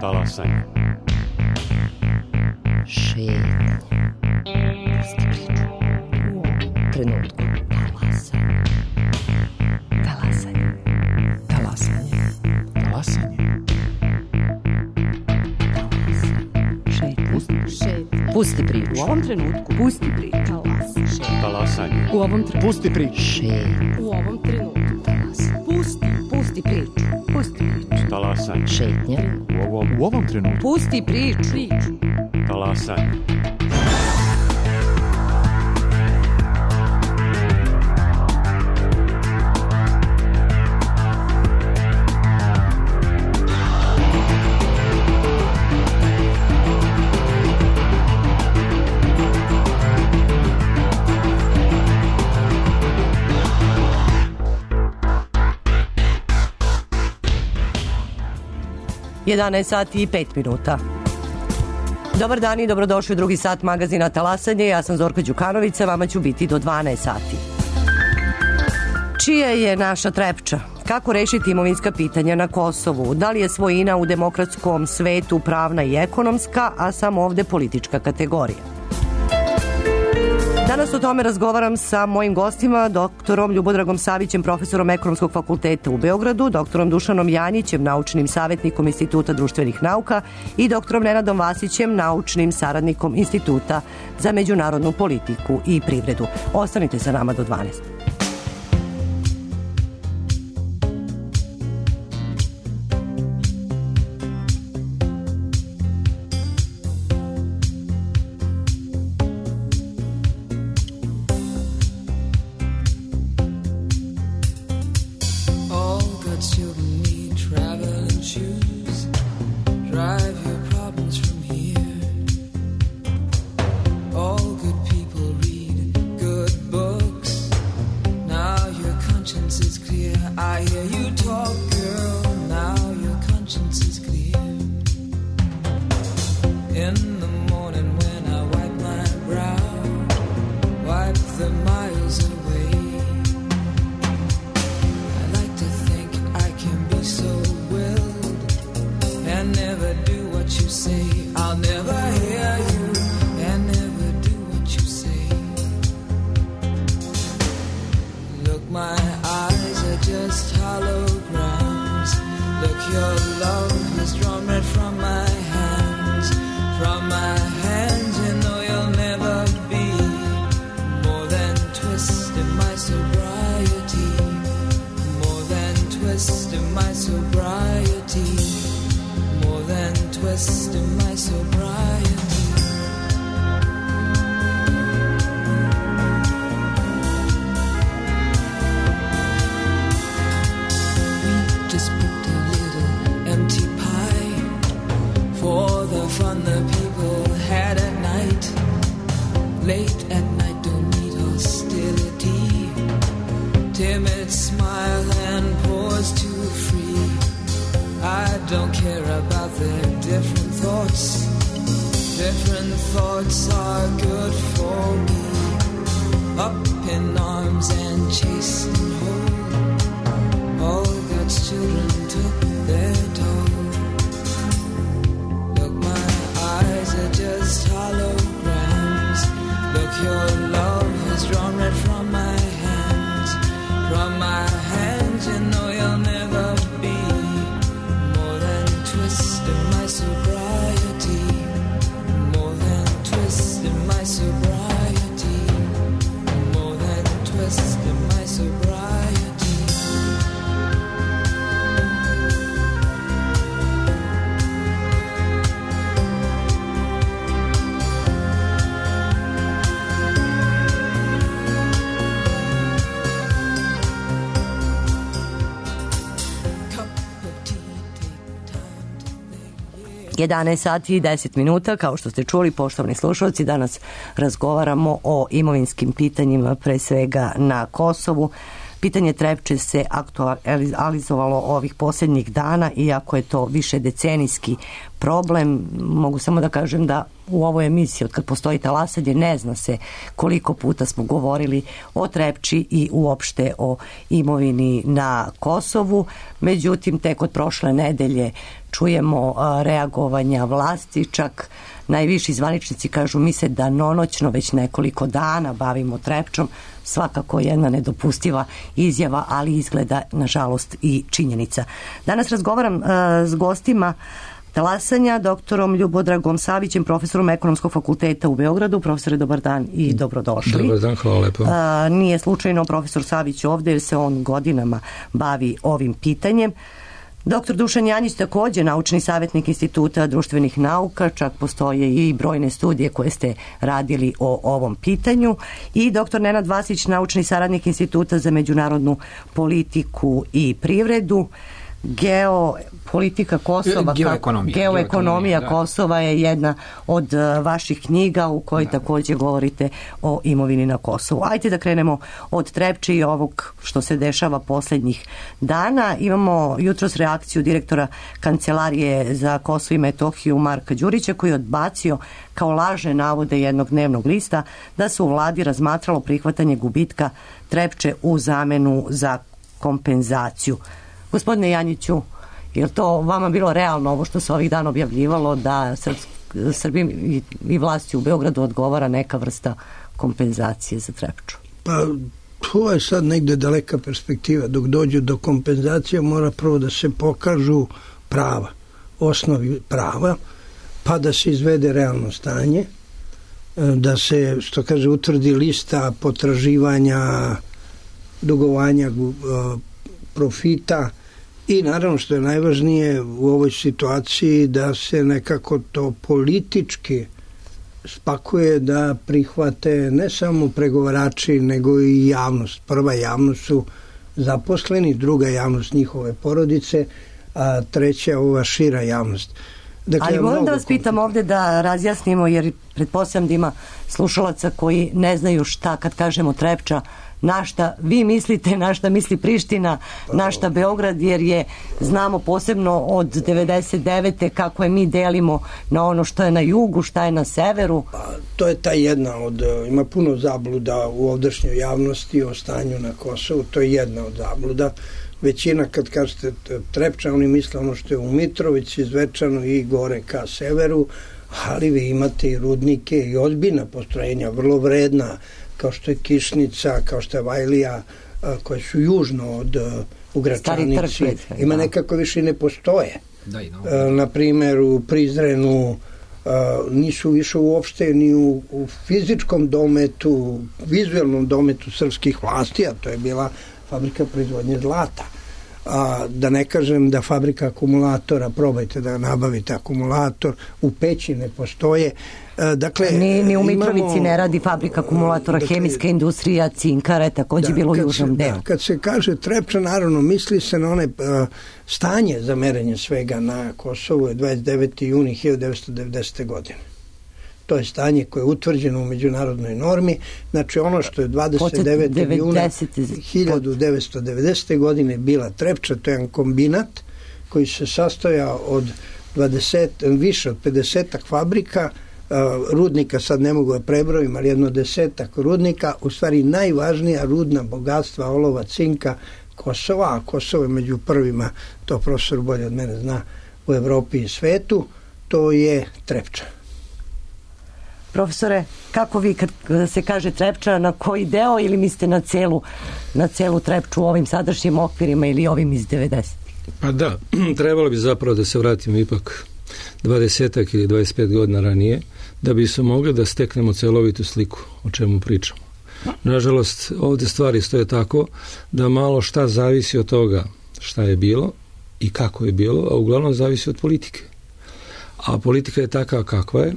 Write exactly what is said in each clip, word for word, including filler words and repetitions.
Talasanje. Šetnje. Pusti priču. U ovom trenutku. Talasanje. Talasanje. Talasanje. Talasanje. Šetnje. Pusti priču. U ovom trenutku. Pusti priču. Talasanje. U ovom trenutku. Pusti priču. Šetnje. U ovom trenutku. Talasanje. Pusti. Pusti priču. Pusti priču. Talasanje. Šetnje. U ovom, U ovom trenutku. Pusti priču. Priču. talasanje. jedanaest sati i pet minuta. Dobar dan i dobrodošli u drugi sat magazina Talasanje. Ja sam Zorka Đukanović, vama ću biti do dvanaest sati. Čija je naša Trepča? Kako rešiti imovinska pitanja na Kosovu? Da li je svojina u demokratskom svetu pravna i ekonomska, a samo ovde politička kategorija? Danas o tome razgovaram sa mojim gostima, doktorom Ljubodragom Savićem, profesorom Ekonomskog fakulteta u Beogradu, doktorom Dušanom Janjićem, naučnim savjetnikom Instituta društvenih nauka i doktorom Nenadom Vasićem, naučnim saradnikom Instituta za međunarodnu politiku i privredu. Ostanite sa nama do dvanaest. jedanaest sati i deset minuta, kao što ste čuli, poštovani slušalci, danas razgovaramo o imovinskim pitanjima, pre svega na Kosovu. Pitanje Trepče se aktualizovalo ovih posljednjih dana, iako je to više decenijski problem. Mogu samo da kažem da u ovoj emisiji od kad postoji talasanje, ne zna se koliko puta smo govorili o Trepči i uopšte o imovini na Kosovu. Međutim, tek od prošle nedelje čujemo reagovanja vlasti, čak najviši zvaničnici kažu mi se danonoćno već nekoliko dana bavimo Trepčom, svakako jedna nedopustiva izjava, ali izgleda nažalost i činjenica. Danas razgovaram uh, s gostima talasanja, doktorom Ljubodragom Savićem, profesorom Ekonomskog fakulteta u Beogradu. Profesore, dobar dan i dobrodošli. Dobar dan, hvala lepo. A, nije slučajno profesor Savić ovde jer se on godinama bavi ovim pitanjem. Doktor Dušan Janjić, takođe naučni savjetnik Instituta društvenih nauka, čak postoje i brojne studije koje ste radili o ovom pitanju, i doktor Nenad Vasić, naučni saradnik Instituta za međunarodnu politiku i privredu. Geopolitika Kosova, geoekonomija, geoekonomija Kosova je jedna od vaših knjiga u kojoj da. takođe govorite o imovini na Kosovu. Ajde da krenemo od Trepče i ovog što se dešava poslednjih dana. Imamo jutros reakciju direktora Kancelarije za Kosovo i Metohiju Marka Đurića, koji je odbacio kao lažne navode jednog dnevnog lista da se u vladi razmatralo prihvatanje gubitka Trepče u zamenu za kompenzaciju. Gospodine Janjiću, je li to vama bilo realno ovo što se ovih dana objavljivalo da Srbi i, i vlasti u Beogradu odgovara neka vrsta kompenzacije za Trepču? Pa to je sad negde daleka perspektiva. Dok dođu do kompenzacije mora prvo da se pokažu prava, osnovi prava, pa da se izvede realno stanje, da se, što kaže, utvrdi lista potraživanja, dugovanja, profita i naravno što je najvažnije u ovoj situaciji da se nekako to politički spakuje, da prihvate ne samo pregovarači nego i javnost. Prva javnost su zaposleni, druga javnost njihove porodice, a treća ova šira javnost. Dakle, ali moram da vas pitam ovde da razjasnimo, jer pretpostavljam da ima slušalaca koji ne znaju šta kad kažemo Trepča, na šta vi mislite, na šta misli Priština, na šta Beograd, jer je, znamo posebno od devedeset devete kako je mi delimo na ono što je na jugu, šta je na severu. Pa, to je ta jedna od, ima puno zabluda u ovdašnjoj javnosti o stanju na Kosovu, to je jedna od zabluda. Većina kad kažete Trepča, oni misle ono što je u Mitrovici, Zvečanu i gore ka severu, ali vi imate i rudnike i ozbiljna postrojenja, vrlo vredna, kao što je Kišnica, kao što je Vajlija, koje su južno od u Gračanici, ima nekako više ne postoje. Da, i no. Na primjer u Prizrenu nisu više uopšte ni u, u fizičkom dometu, vizualnom dometu srpskih vlasti, a to je bila fabrika proizvodnje zlata. A, da ne kažem da fabrika akumulatora, probajte da nabavite akumulator, u Peći ne postoje. A, dakle, ni, ni u Mitrovici imamo, ne radi fabrika akumulatora, dakle, hemijska industrija, cinkara je takođe da, bilo u južnom delu. Da, kad se kaže Trepča, naravno misli se na one a, stanje za merenje svega na Kosovu je dvadeset deveti juni hiljadu devetsto devedesete. godine. To je stanje koje je utvrđeno u međunarodnoj normi. Znači ono što je dvadeset devetog juna hiljadu devetsto devedesete. godine bila Trepča, to je jedan kombinat koji se sastoja od dvadeset, više od pedesetak fabrika, rudnika, sad ne mogu da prebrojim, ali jedno desetak rudnika, u stvari najvažnija rudna bogatstva olova, cinka Kosova, a Kosovo je među prvima, to profesor bolje od mene zna, u Evropi i svetu, to je Trepča. Profesore, kako vi kad se kaže Trepča, na koji deo ili mislite na celu, na celu Trepču u ovim sadašnjim okvirima ili ovim iz devedesetih? Pa da, trebalo bi zapravo da se vratimo ipak dvadesetak ili dvadeset pet godina ranije, da bi se mogli da steknemo celovitu sliku o čemu pričamo. Nažalost, ovde stvari stoje tako da malo šta zavisi od toga šta je bilo i kako je bilo, a uglavnom zavisi od politike. A politika je takva kakva je.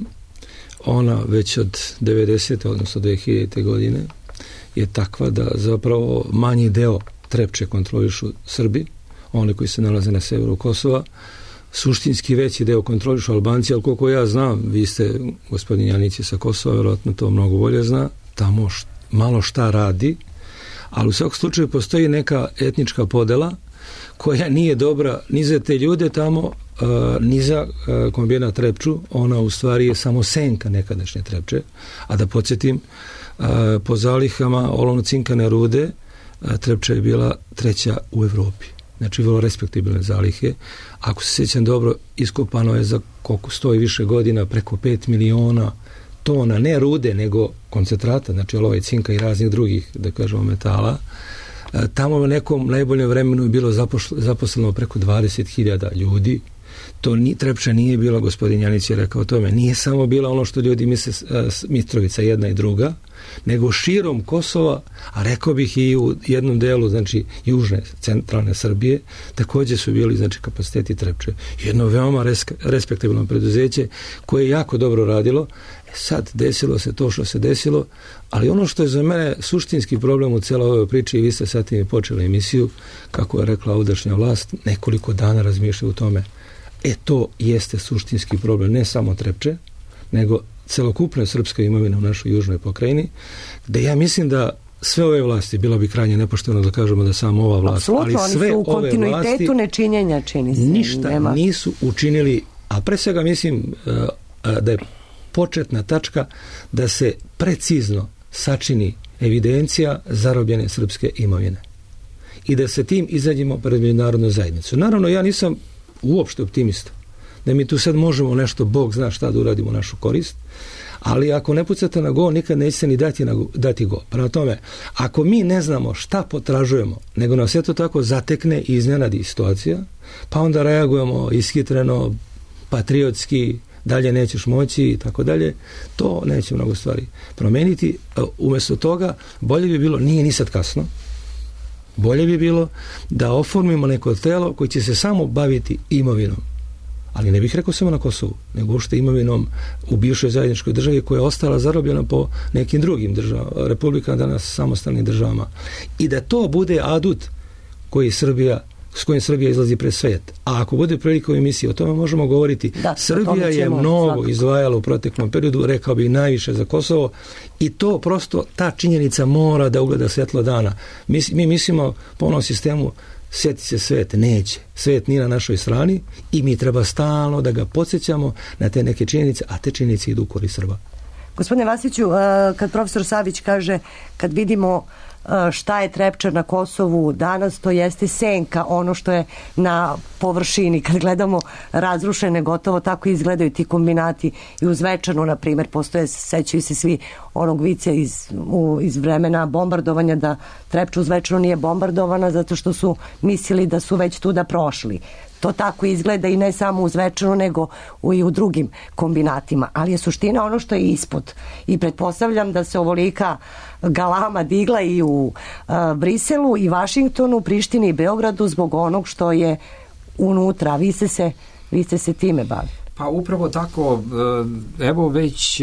Ona već od devedesete odnosno dve hiljadite. godine je takva da zapravo manji deo Trepče kontrolišu Srbi, oni koji se nalaze na severu Kosova, suštinski veći deo kontrolišu Albanci, ali koliko ja znam, vi ste, gospodin Janić sa Kosova, verovatno to mnogo bolje zna, tamo št, malo šta radi, ali u svakom slučaju postoji neka etnička podela koja nije dobra ni za te ljude tamo, niza uh, kombinat Trepču, ona u stvari je samo senka nekadašnje Trepče, a da podsjetim, uh, po zalihama olovno-cinkane rude uh, Trepča je bila treća u Evropi. Znači vrlo respektabilne zalihe. Ako se sjećam dobro, iskopano je za koliko sto i više godina preko pet miliona tona, ne rude, nego koncentrata, znači olova i cinka i raznih drugih, da kažemo, metala. Tamo u nekom najboljem vremenu je bilo zaposleno preko dvadeset hiljada ljudi. To ni, Trepča nije bila, gospodin Janić je rekao o tome, nije samo bila ono što ljudi misle Mitrovica jedna i druga, nego širom Kosova, a rekao bih i u jednom delu, znači južne, centralne Srbije, također su bili, znači, kapaciteti Trepče. Jedno veoma res, respektabilno preduzeće koje je jako dobro radilo. Sad desilo se to što se desilo, ali ono što je za mene suštinski problem u celoj ovoj priči, i vi ste sad i počeli emisiju, kako je rekla ovdašnja vlast, nekoliko dana razmišlja u tome. E, to jeste suštinski problem, ne samo Trepče, nego celokupna srpska imovina u našoj južnoj pokrajini, gde ja mislim da sve ove vlasti, bilo bi krajnje nepošteno da kažemo da samo ova vlast, apsolutno, ali sve oni su u ove kontinuitetu vlasti nečinjenja, čini se. Ništa nema. Nisu učinili, a pre svega mislim da je početna tačka da se precizno sačini evidencija zarobljene srpske imovine i da se tim izađemo pred međunarodnu zajednicu. Naravno, ja nisam uopšte optimista da mi tu sad možemo nešto, Bog zna šta da uradimo u našu korist, ali ako ne pucate na go, nikad nećete ni dati, na, dati go. Prema tome, ako mi ne znamo šta potražujemo, nego nas eto tako zatekne i iznenadi situacija, pa onda reagujemo ishitreno, patriotski, dalje nećeš moći i tako dalje, to neće mnogo stvari promeniti. Umjesto toga, bolje bi bilo, nije ni sad kasno, bolje bi bilo da oformimo neko telo koji će se samo baviti imovinom. Ali ne bih rekao samo na Kosovu, nego uopšte imovinom u bivšoj zajedničkoj državi koja je ostala zarobljena po nekim drugim državama, republikama, danas samostalnim državama. I da to bude adut koji Srbija, s kojim Srbija izlazi pred svijet. A ako bude prilika u emisiji, o tome možemo govoriti. Da, Srbija je mnogo svakako izdvajala u proteklom periodu, rekao bi najviše za Kosovo, i to prosto, ta činjenica mora da ugleda svjetlo dana. Mi, mi mislimo po onom sistemu sjeti se svet, neće. Svet nije na našoj strani i mi treba stalno da ga podsjećamo na te neke činjenice, a te činjenice idu u korist Srba. Gospodine Vasiću, kad profesor Savić kaže, kad vidimo šta je Trepča na Kosovu danas, to jeste senka, ono što je na površini. Kad gledamo razrušene, gotovo tako izgledaju ti kombinati. I u Zvečanu, na primjer, postoje, sećaju se svi onog vica iz, u, iz vremena bombardovanja, da Trepča u Zvečanu nije bombardovana zato što su mislili da su već tuda prošli. To tako izgleda i ne samo u Zvečanu, nego i u drugim kombinatima. Ali je suština ono što je ispod. I pretpostavljam da se ovolika galama digla i u uh, Briselu i Vašingtonu, Prištini i Beogradu zbog onog što je unutra. Vi ste se, vi ste se time bavili. Pa upravo tako, evo već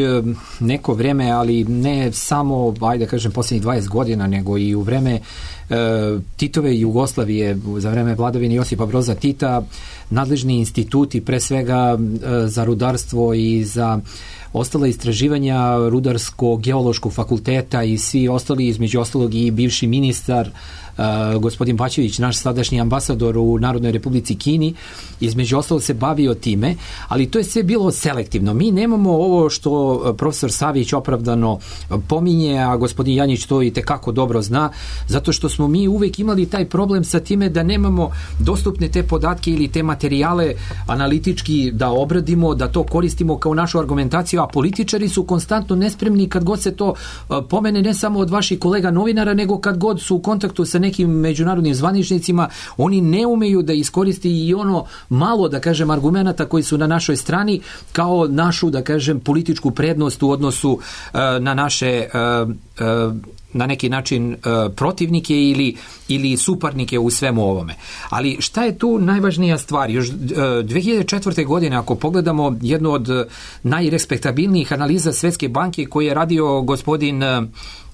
neko vreme, ali ne samo, ajde kažem, posljednjih dvadeset godina, nego i u vreme Titove Jugoslavije, za vreme vladavine Josipa Broza Tita, nadležni instituti, pre svega za rudarstvo i za ostala istraživanja Rudarsko-geološkog fakulteta i svi ostali, između ostalog i bivši ministar Uh, gospodin Bačević, naš sadašnji ambasador u Narodnoj Republici Kini, između ostalog se bavio time, ali to je sve bilo selektivno. Mi nemamo ovo što profesor Savić opravdano pominje, a gospodin Janjić to i tekako dobro zna, zato što smo mi uvek imali taj problem sa time da nemamo dostupne te podatke ili te materijale analitički da obradimo, da to koristimo kao našu argumentaciju, a političari su konstantno nespremni kad god se to pomene, ne samo od vaših kolega novinara, nego kad god su u kontaktu sa nekim međunarodnim zvaničnicima, oni ne umeju da iskoristi i ono malo, da kažem, argumenata koji su na našoj strani kao našu, da kažem, političku prednost u odnosu uh, na naše uh, uh, na neki način uh, protivnike ili, ili suparnike u svemu ovome. Ali šta je tu najvažnija stvar? Još uh, dve hiljade četvrte. godine, ako pogledamo jednu od uh, najrespektabilnijih analiza Svetske banke koje je radio gospodin uh,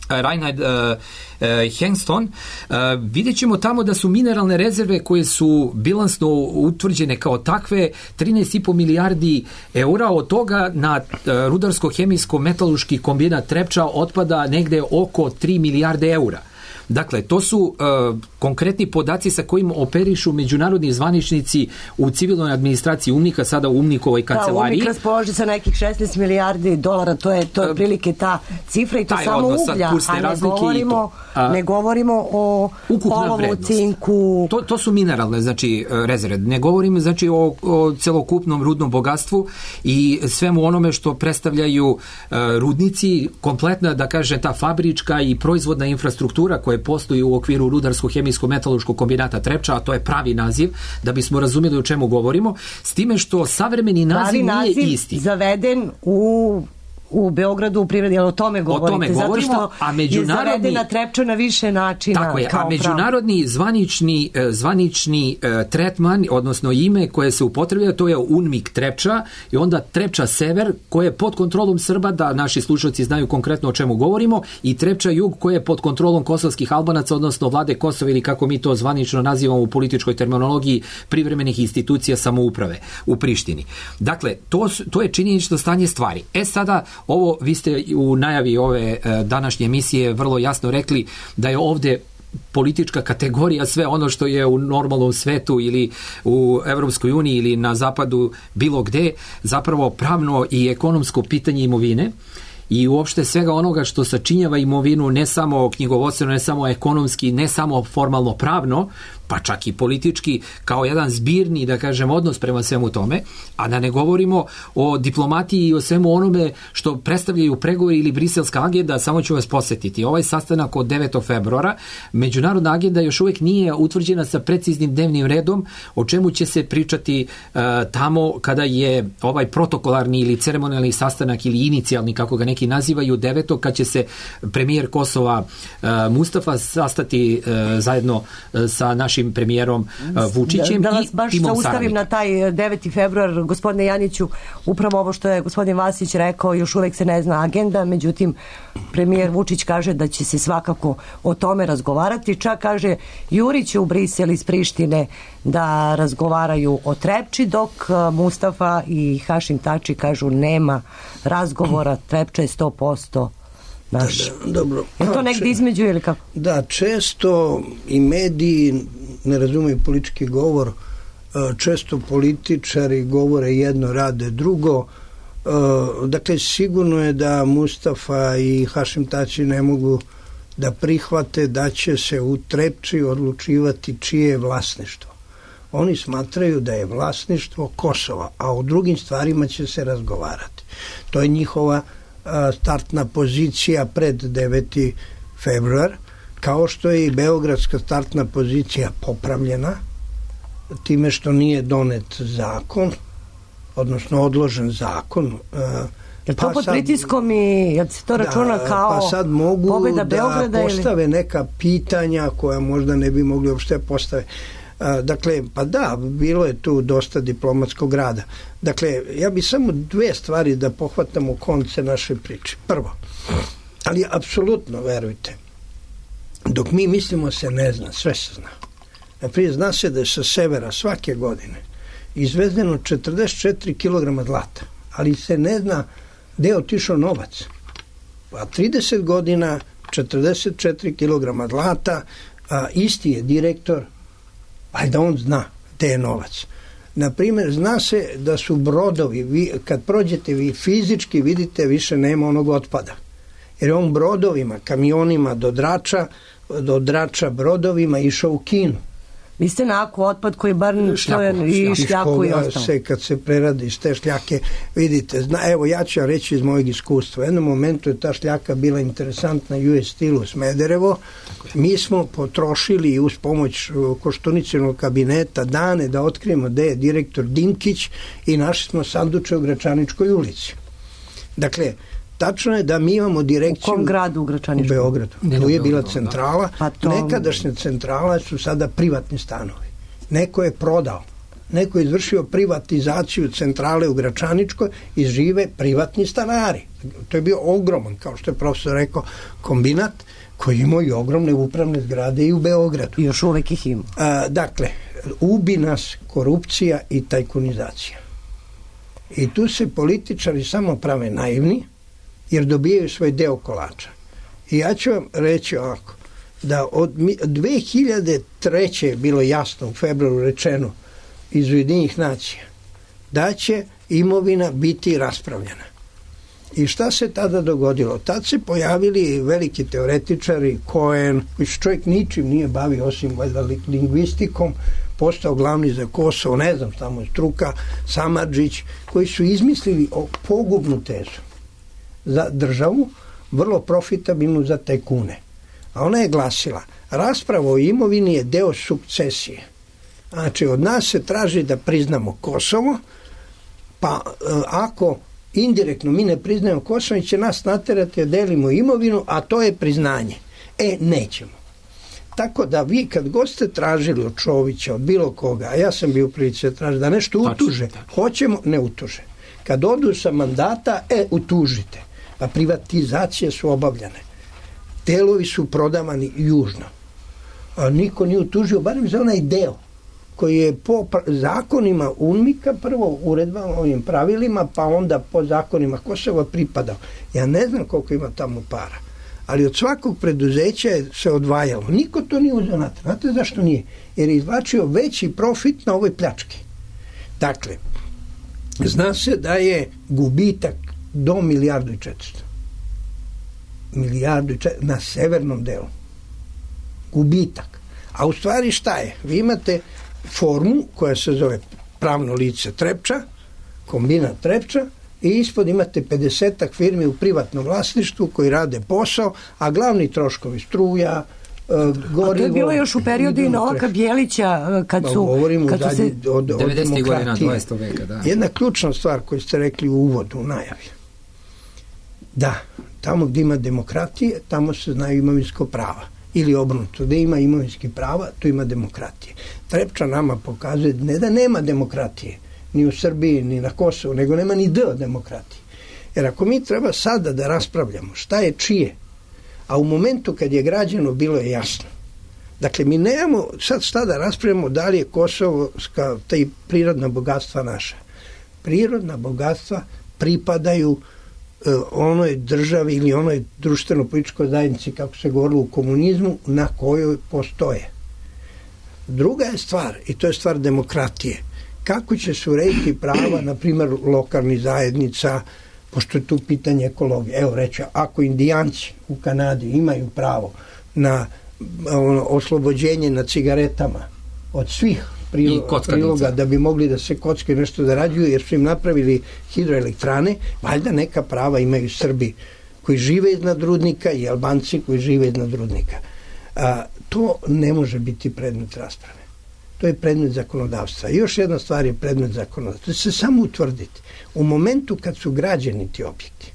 Reinhard uh, uh, Hengston, uh, vidjet ćemo tamo da su mineralne rezerve koje su bilansno utvrđene kao takve trinaest i po milijardi eura, od toga na uh, rudarsko-hemijsko-metalurški kombinat Trepča otpada negde oko tri milijarde eura. Dakle, to su uh, konkretni podaci sa kojim operišu međunarodni zvaničnici u civilnoj administraciji UNMIK-a, sada u UNMIK-ovoj kancelariji. Da, UNMIK raspoloži sa nekih šesnaest milijardi dolara, to je, to je prilike ta cifra i to samo uglja, a ne govorimo, a, ne govorimo o olovu, cinku. To, to su mineralne, znači, rezerve. Ne govorim, znači, o, o celokupnom rudnom bogatstvu i svemu onome što predstavljaju uh, rudnici, kompletna, da kaže, ta fabrička i proizvodna infrastruktura koja postoji u okviru rudarsko-hemijsko-metaloškog kombinata Trepča, a to je pravi naziv, da bismo razumjeli o čemu govorimo, s time što savremeni naziv, naziv nije isti. Zaveden u u Beogradu u privredi, ali o tome govorite. O tome govorimo, zato što a međunarodni, je zavedena Trepča na više načina. Tako je, a međunarodni zvanični, zvanični tretman, odnosno ime koje se upotrebljava, to je UNMIK Trepča i onda Trepča Sever, koje je pod kontrolom Srba, da naši slušalci znaju konkretno o čemu govorimo, i Trepča Jug, koje je pod kontrolom kosovskih Albanaca, odnosno vlade Kosova, ili kako mi to zvanično nazivamo u političkoj terminologiji, privremenih institucija samouprave u Prištini. Dakle, to, to je činjenično stanje stvari. E sada, ovo, vi ste u najavi ove današnje emisije vrlo jasno rekli da je ovde politička kategorija sve ono što je u normalnom svetu ili u Evropskoj uniji ili na zapadu bilo gde, zapravo pravno i ekonomsko pitanje imovine i uopšte svega onoga što sačinjava imovinu, ne samo knjigovodstveno, ne samo ekonomski, ne samo formalno pravno, pa čak i politički, kao jedan zbirni, da kažem, odnos prema svemu tome, a da ne govorimo o diplomatiji i o svemu onome što predstavljaju pregovori ili briselska agenda. Samo ću vas posjetiti. Ovaj sastanak od devetog februara, međunarodna agenda još uvijek nije utvrđena sa preciznim dnevnim redom, o čemu će se pričati uh, tamo kada je ovaj protokolarni ili ceremonijalni sastanak ili inicijalni, kako ga neki nazivaju, devetog, kad će se premijer Kosova uh, Mustafa sastati uh, zajedno uh, sa našim premijerom Vučićem da, da i baš timom ustavim saradnika. Na taj deveti februar, gospodine Janiću, upravo ovo što je gospodin Vasić rekao, još uvek se ne zna agenda, međutim premijer Vučić kaže da će se svakako o tome razgovarati, čak kaže Jurić u Brisel iz Prištine da razgovaraju o Trepči, dok Mustafa i Hašim Tači kažu nema razgovora, Trepča je sto posto naš. Da, da, dobro. Je to negdje između ili kako? Da, često i mediji ne razumiju politički govor, često političari govore jedno, rade drugo. Dakle, sigurno je da Mustafa i Hašim Tači ne mogu da prihvate da će se u Trepči odlučivati čije je vlasništvo. Oni smatraju da je vlasništvo Kosova, a o drugim stvarima će se razgovarati. To je njihova startna pozicija pred deveti februar, kao što je i beogradska startna pozicija popravljena time što nije donet zakon, odnosno odložen zakon. Je to pa pod sad, pritiskom i jel se to računa da, kao pa sad mogu pobjeda Beograda da postave ili? Neka pitanja koja možda ne bi mogli uopšte postave. Dakle, pa da, bilo je tu dosta diplomatskog rada. Dakle, ja bi samo dve stvari da pohvatam u konce naše priče. Prvo, ali apsolutno, verujte, dok mi mislimo se ne zna, sve se zna. Naprijed, zna se da je sa severa svake godine izvezeno četrdeset četiri kilograma zlata, ali se ne zna gde je otišao novac. Pa trideset godina, četrdeset četiri kilograma zlata, a isti je direktor, ajde on zna gde je novac. Naprimjer, zna se da su brodovi, vi, kad prođete vi fizički vidite više nema onog otpada. Jer on brodovima, kamionima do Drača, do Drača brodovima išao u Kinu. Vi ste na ako otpad koji bar šljaku, i šljaku i ostalo. Se, kad se preradi iz te šljake, vidite, zna, evo ja ću reći iz mojeg iskustva. U jednom momentu je ta šljaka bila interesantna U S Steel u Smederevo. Mi smo potrošili uz pomoć Koštuničinog kabineta dane da otkrijemo gde je direktor Dinkić i našli smo sanduče u Gračaničkoj ulici. Dakle, tačno je da mi imamo direkciju... U kom gradu u Gračaničkom? U Beogradu. Tu je bila centrala. Pa to... Nekadašnja centrala su sada privatni stanovi. Neko je prodao. Neko je izvršio privatizaciju centrale u Gračaničkoj i žive privatni stanari. To je bio ogroman, kao što je profesor rekao, kombinat koji ima i ogromne upravne zgrade i u Beogradu. I još uvek ih ima. A, dakle, ubi nas korupcija i tajkunizacija. I tu se političari samo prave naivni, jer dobijaju svoj deo kolača. I ja ću vam reći ovako, da od dve hiljade treće je bilo jasno u februaru rečeno iz Ujedinjenih nacija da će imovina biti raspravljena. I šta se tada dogodilo? Tad se pojavili veliki teoretičari, Cohen, koji se čovjek ničim nije bavio osim lingvistikom, postao glavni za Kosovo, ne znam šta mu je struka, Samardžić, koji su izmislili pogubnu tezu za državu, vrlo profitabilnu za tajkune. A ona je glasila, rasprava o imovini je deo sukcesije. Znači, od nas se traži da priznamo Kosovo, pa ako indirektno mi ne priznajemo Kosovo, će nas naterati da delimo imovinu, a to je priznanje. E, nećemo. Tako da vi kad god ste tražili od Čovića, od bilo koga, a ja sam bio u prilici da traži da nešto utuže, hoćemo, ne utuže. Kad odu sa mandata, e, utužite. Pa privatizacije su obavljane. Delovi su prodavani južno. A niko nije utužio, barem za onaj deo koji je po zakonima UNMIK-a, prvo uredbama, ovim pravilima, pa onda po zakonima Kosova pripadao. Ja ne znam koliko ima tamo para, ali od svakog preduzeća je se odvajalo. Niko to nije uzeo na to. Znate zašto nije? Jer je izvlačio veći profit na ovoj pljački. Dakle, zna se da je gubitak do milijardu i četiristo. Milijardu i četiristo na severnom delu. Gubitak. A u stvari šta je? Vi imate formu koja se zove pravno lice Trepča, kombinat Trepča, i ispod imate pedesetak firmi u privatnom vlasništvu koji rade posao, a glavni troškovi struja, gorivo... A to je bilo još u periodu i Novaka Bjelića, kad su... Govorimo kad zadnji, se... od, od devedesetih godina demokratije. dvadesetog veka, da. Jedna ključna stvar koju ste rekli u uvodu, u najavi. Da, tamo gdje ima demokratije, tamo se znaju imovinsko prava. Ili obrnuto, gdje ima imovinski prava, tu ima demokratije. Trepča nama pokazuje ne da nema demokratije, ni u Srbiji, ni na Kosovu, nego nema ni D od demokratije. Jer ako mi treba sada da raspravljamo šta je čije, a u momentu kad je građeno bilo je jasno. Dakle, mi nemamo sad šta da raspravljamo da li je Kosovo ta prirodna bogatstva naša. Prirodna bogatstva pripadaju onoj državi ili onoj društveno-političkoj zajednici, kako se govorilo u komunizmu, na kojoj postoje. Druga je stvar, i to je stvar demokratije, kako će se urediti prava, na primjer, lokalnih zajednica, pošto je tu pitanje ekologije. Evo reći, ako Indijanci u Kanadi imaju pravo na ono, oslobođenje na cigaretama od svih Prilo, priloga da bi mogli da se kocke nešto zarađuju jer su im napravili hidroelektrane, valjda neka prava imaju Srbi koji žive iznad rudnika i Albanci koji žive iznad rudnika. A, to ne može biti predmet rasprave. To je predmet zakonodavstva. I još jedna stvar je predmet zakonodavstva. To se samo utvrditi. U momentu kad su građeni ti objekti,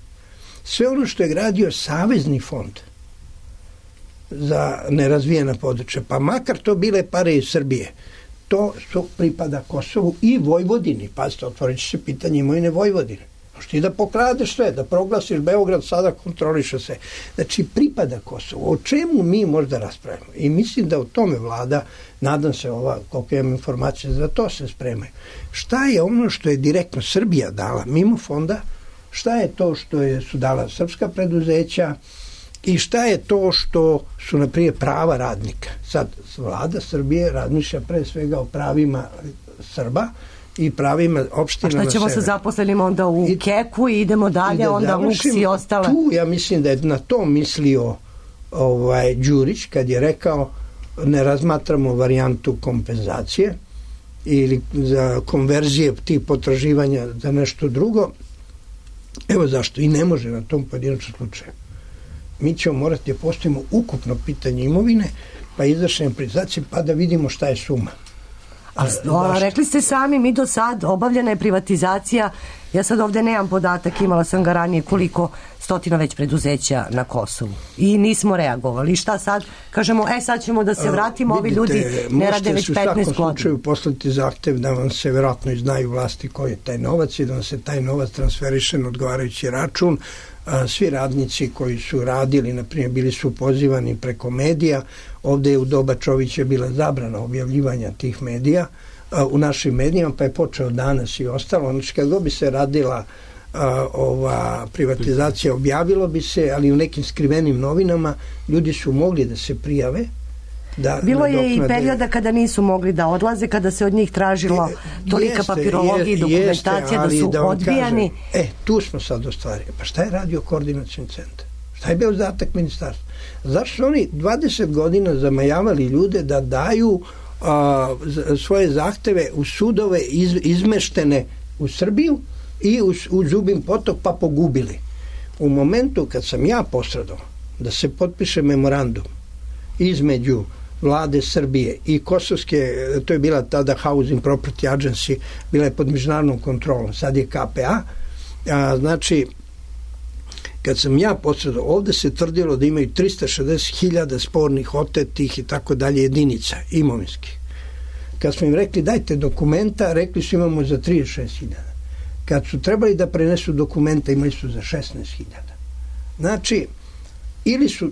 sve ono što je gradio Savezni fond za nerazvijena područja, pa makar to bile pare iz Srbije, to su pripada Kosovu i Vojvodini. Pazite, otvorit će se pitanje imovine Vojvodine. Možeš ti da pokradeš sve, da proglasiš Beograd, sada kontroliše se. Znači, pripada Kosovu. O čemu mi možda raspravimo? I mislim da u tome vlada, nadam se ova, koliko imam informacije, za to se spremaju. Šta je ono što je direktno Srbija dala mimo fonda? Šta je to što je, su dala srpska preduzeća? I šta je to što su, na primjer, prava radnika? Sad, vlada Srbije razmišlja pre svega o pravima Srba i pravima opština na severu. A šta ćemo sa zaposlenima onda u I, Keku i idemo dalje, i onda Luks i ostale? Tu, ja mislim da je na to mislio ovaj, Đurić, kad je rekao ne razmatramo varijantu kompenzacije ili za konverzije tih potraživanja za nešto drugo. Evo zašto. I ne može na tom pojedinačnom slučaju. Mi ćemo morati da postavimo ukupno pitanje imovine, pa izvršenje privatizacije, pa da vidimo šta je suma. A, a rekli ste sami, mi do sad obavljena je privatizacija, ja sad ovde nemam podatak, imala sam ga ranije koliko stotina već preduzeća na Kosovu i nismo reagovali. Šta sad? Kažemo, e sad ćemo da se vratimo, a, ovi ljudi ne rade već petnaest godina. Možete u svakom slučaju poslati zahtev da vam se verovatno iznaju vlasti koji je taj novac i da vam se taj novac transferiše na odgovarajući račun. A, svi radnici koji su radili, na primjer, bili su pozivani preko medija. Ovde je u doba Čovića bila zabrana objavljivanja tih medija a, u našim medijima, pa je počeo danas i ostalo. Znači, kad bi se radila a, ova privatizacija objavilo bi se, ali u nekim skrivenim novinama ljudi su mogli da se prijave. Da, bilo je i nadoknade... perioda kada nisu mogli da odlaze, kada se od njih tražila tolika jeste, papirologija i dokumentacija jeste, da su da odbijani. Kažem, e, tu smo sad ostvarili. Pa šta je radio koordinacioni centar? Šta je bio zadatak ministarstva? Zašto su oni dvadeset godina zamajavali ljude da daju a, svoje zahteve u sudove iz, izmeštene u Srbiju i u, u Zubin Potok pa pogubili? U momentu kad sam ja posredao da se potpiše memorandum između vlade Srbije i kosovske, to je bila tada Housing Property Agency, bila je pod međunarodnom kontrolom, sad je K P A, a znači kad sam ja posredao, ovde se tvrdilo da imaju trista šezdeset hiljada spornih, otetih i tako dalje jedinica imovinskih. Kad smo im rekli dajte dokumenta, rekli su imamo za trideset šest hiljada. Kad su trebali da prenesu dokumenta, imali su za šesnaest hiljada. Znači, ili su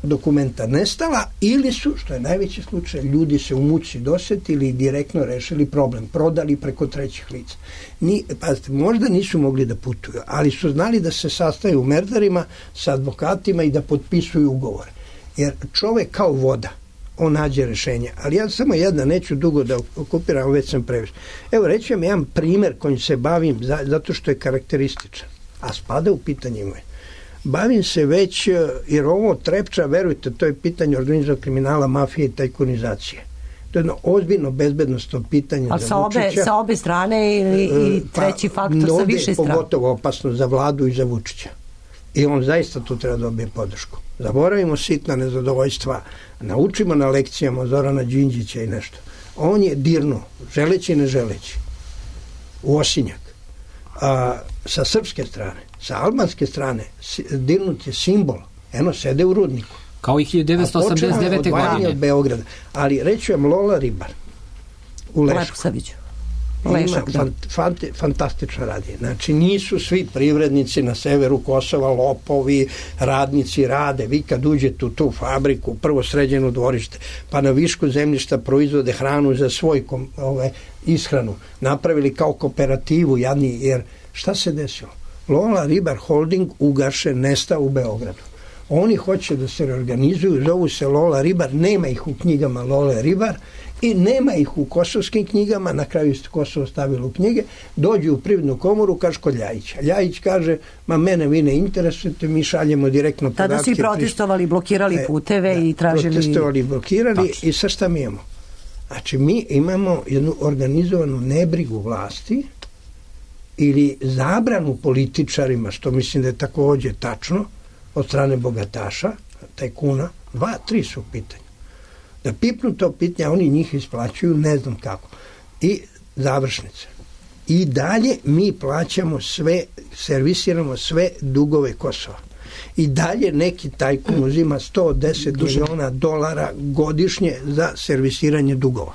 dokumenta nestala, ili su, što je najveći slučaj, ljudi se u muci dosetili i direktno rešili problem, prodali preko trećih lica. Ni, pazite, možda nisu mogli da putuju, ali su znali da se sastaju u merdarima sa advokatima i da potpisuju ugovore. Jer čovek kao voda, on nađe rešenje. Ali ja samo jedna, neću dugo da okupiram, već sam previše. Evo, reći vam jedan primer kojim se bavim, zato što je karakterističan, a spada u pitanje moje. Bavim se već, jer ovo Trepča, verujte, to je pitanje organizovanog kriminala, mafije i tajkunizacije. To je jedno ozbiljno bezbednostno pitanje a za sa obe, Vučića. sa obe strane ili i treći pa, faktor sa više strane? Pogotovo opasno za vladu i za Vučića. I on zaista tu treba dobije podršku. Zaboravimo sitna nezadovoljstva, naučimo na lekcijama Zorana Đinđića i nešto. On je dirnuo, želeći i ne želeći, u osinjak. A, sa srpske strane, sa albanske strane, dirnut je simbol. Eno, sede u rudniku. Kao i hiljadu devetsto osamdeset devete. godine. Od Beograda. Ali reći vam Lola Ribar u Lešku. Lešak, ima fant, fant, fantastično radi. Znači, nisu svi privrednici na severu Kosova lopovi, radnici rade. Vi kad uđete u tu fabriku, prvo sređeno dvorište, pa na višku zemljišta proizvode hranu za svoj kom, ove, ishranu. Napravili kao kooperativu, jadni, jer šta se desilo? Lola Ribar Holding ugašen, nestao u Beogradu. Oni hoće da se reorganizuju, zovu se Lola Ribar, nema ih u knjigama Lola Ribar i nema ih u kosovskim knjigama, na kraju ste Kosovo stavilo u knjige, dođu u Privrednu komoru, kaže kod Ljajića. Ljajić kaže, ma mene vi ne interesujete, mi šaljemo direktno podatke. Tada su i protestovali, blokirali puteve e, da, i tražili... Protestovali, blokirali Tači. I sad šta mi imamo? Znači, mi imamo jednu organizovanu nebrigu vlasti ili zabranu političarima, što mislim da je takođe tačno, od strane bogataša, tajkuna, dva, tri su u pitanju. Da pipnu to pitanje, oni njih isplaćuju, ne znam kako. I završnice. I dalje mi plaćamo sve, servisiramo sve dugove Kosova. I dalje neki tajkun uzima sto deset miliona dolara godišnje za servisiranje dugova.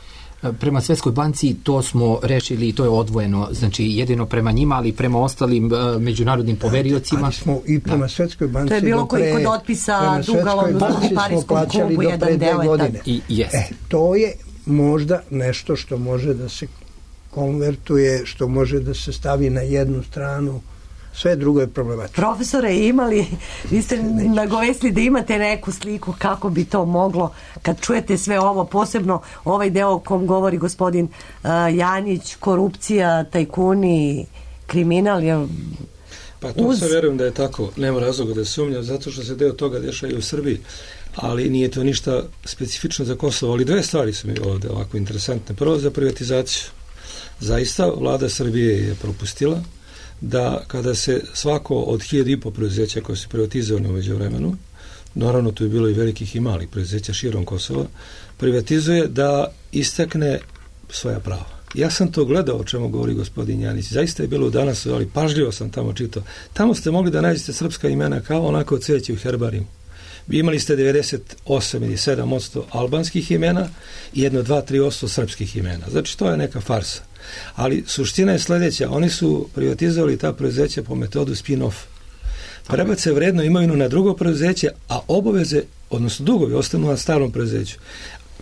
Prema Svetskoj banci to smo rešili i to je odvojeno, znači jedino prema njima, ali prema ostalim uh, međunarodnim poveriocima. Ali smo i prema da. Svetskoj banci... To je bilo koji kod otpisa duga u Parijskom klubu jedan deo. I, yes. E, to je možda nešto što može da se konvertuje, što može da se stavi na jednu stranu. Sve drugo je problematično. Profesore, imali, vi ste nagovesli da imate neku sliku kako bi to moglo, kad čujete sve ovo, posebno ovaj deo o kom govori gospodin uh, Janjić, korupcija, tajkuni, kriminal je... Pa to uz... se verujem da je tako, nema razloga da sumnjam, zato što se deo toga dešava i u Srbiji, ali nije to ništa specifično za Kosovo, ali dve stvari su mi ovde ovako interesantne. Prvo za privatizaciju. Zaista, vlada Srbije je propustila da kada se svako od hiljadu i po preduzeća koje su privatizovane umeđu vremenu, naravno tu je bilo i velikih i malih preduzeća širom Kosova, privatizuje da istakne svoja prava. Ja sam to gledao o čemu govori gospodin Janić. Zaista je bilo danas, ali pažljivo sam tamo čitao. Tamo ste mogli da nađete srpska imena kao onako cveće u herbarijumu. Imali ste devedeset osam ili sedam posto albanskih imena i jedno, dva, tri posto srpskih imena. Znači, to je neka farsa. Ali suština je sledeća. Oni su privatizovali ta preduzeća po metodu spin-off. Prebace vrednu imovinu na drugo preduzeće, a obaveze, odnosno dugovi, ostanu na starom preduzeću.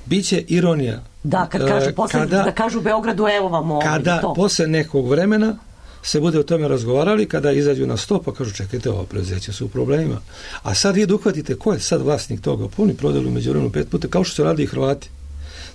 Biće ironija. Da, kad kažu, posle, kada, da kažu Beogradu, evo vam ovo. Kada to. posle nekog vremena se bude o tome razgovarali, kada izađu na sto, pa kažu čekajte, ovo preduzeće su u problemima. A sad vi uhvatite ko je sad vlasnik toga, puni prodali među vremenu pet puta, kao što su radili i Hrvati.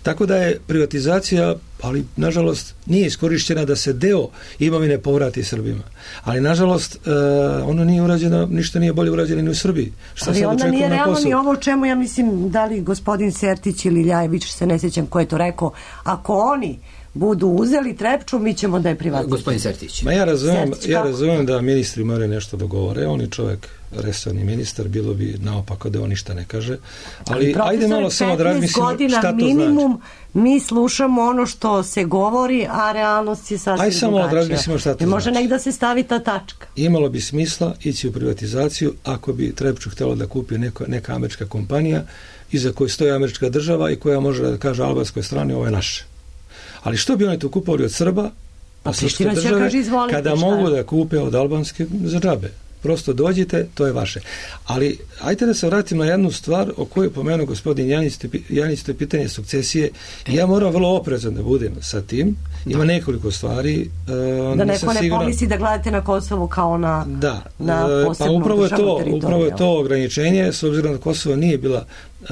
Tako da je privatizacija, ali nažalost nije iskorišćena da se deo imovine povrati Srbima. Ali nažalost uh, ono nije urađeno, ništa nije bolje urađeno ni u Srbiji. Šta ali sad onda nije očekujemo na realno Kosovu? ni ovo o čemu ja mislim, da li gospodin Sertić ili Ljajević, se ne sjećam ko je to rekao, ako oni budu uzeli Trepču, mi ćemo da je privatizujemo. Gospodin Sertić. Ma ja razumijem, Sertić, ja kako? razumijem da ministri moraju nešto dogovore, on je čovjek resorni ministar, bilo bi naopako da on ništa ne kaže, ali, ali ajde malo samo da razmislimo šta to minimum, znači. Mi slušamo ono što se govori, a realnost je sasvim Ajde samo da drugačija. razmislimo šta to I može znači. nek da se stavi ta tačka. Imalo bi smisla ići u privatizaciju ako bi Trepču htjelo da kupi neko, neka američka kompanija iza koje stoji američka država i koja može da kaže albanskoj strani ovo je naše. Ali što bi oni tu kupovali od Srba, Pa od srpske Priština će države, kaže, izvolite, kada šta mogu je? da kupe od albanske za džabe? Prosto dođite, to je vaše. Ali ajte da se vratim na jednu stvar o kojoj pomenuo gospodin Janić, Janić, to je pitanje sukcesije. Ja moram vrlo oprezan da budem sa tim. Ima nekoliko stvari. Uh, Da neko ne siguran... pomisli da gledate na Kosovo kao na, da, na pa posebnu upravo je državnu to, teritoriju. upravo je to ograničenje, s obzirom da Kosovo nije bila uh,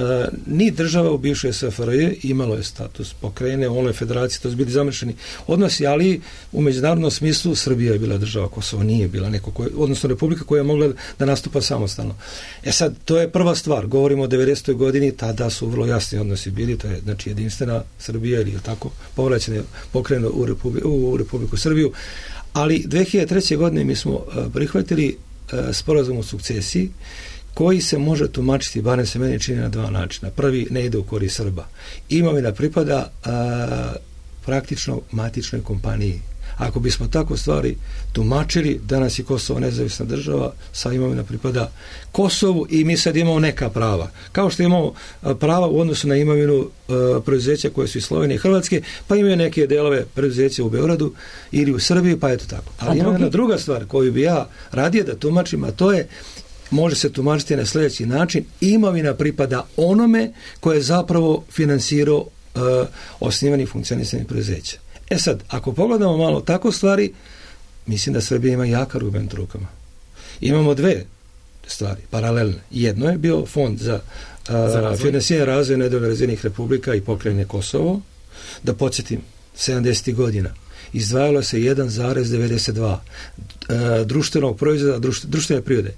ni država u bivšoj S F R J, imalo je status pokrajine, u onoj federaciji, to su bili zamršeni odnosi, ali u međunarodnom smislu Srbija je bila država, Kosovo nije bila neko koje, odnosno republika koja je mogla da nastupa samostalno. E sad, to je prva stvar, govorimo o devedesetoj godini, tada su vrlo jasni odnosi bili, to je znači jedinstvena Srbija ili tako, povraćene pokrajine u, Republi, u Republiku Srbiju, ali dve hiljade treće. godine mi smo uh, prihvatili uh, sporazum o sukcesiji koji se može tumačiti, barem se meni čini, na dva načina. Prvi, ne ide u korist Srba. Imovina pripada uh, praktično matičnoj kompaniji. Ako bismo tako stvari tumačili, danas je Kosovo nezavisna država, sa imovina pripada Kosovu i mi sad imamo neka prava. Kao što imamo prava u odnosu na imovinu uh, preduzeća koje su iz Slovenije i Hrvatske, pa imaju neke delove preduzeća u Beogradu ili u Srbiji, pa eto tako. Ali ima jedna druga stvar koju bi ja radije da tumačim, a to je, može se tumačiti na sljedeći način, imovina pripada onome koje je zapravo finansirao uh, osnivanje i funkcionisanje preduzeća. E sad, ako pogledamo malo tako stvari, mislim da Srbija ima jak argument u rukama. Imamo dve stvari, paralelne. Jedno je bio fond za, za finansiranje razvoja nedavno razvijenih republika i pokrajine Kosovo. Da podsjetim, sedamdesetih godina izdvajalo se jedan zarez devedeset dva uh, društvenog proizvoda, društ, društvene prirode.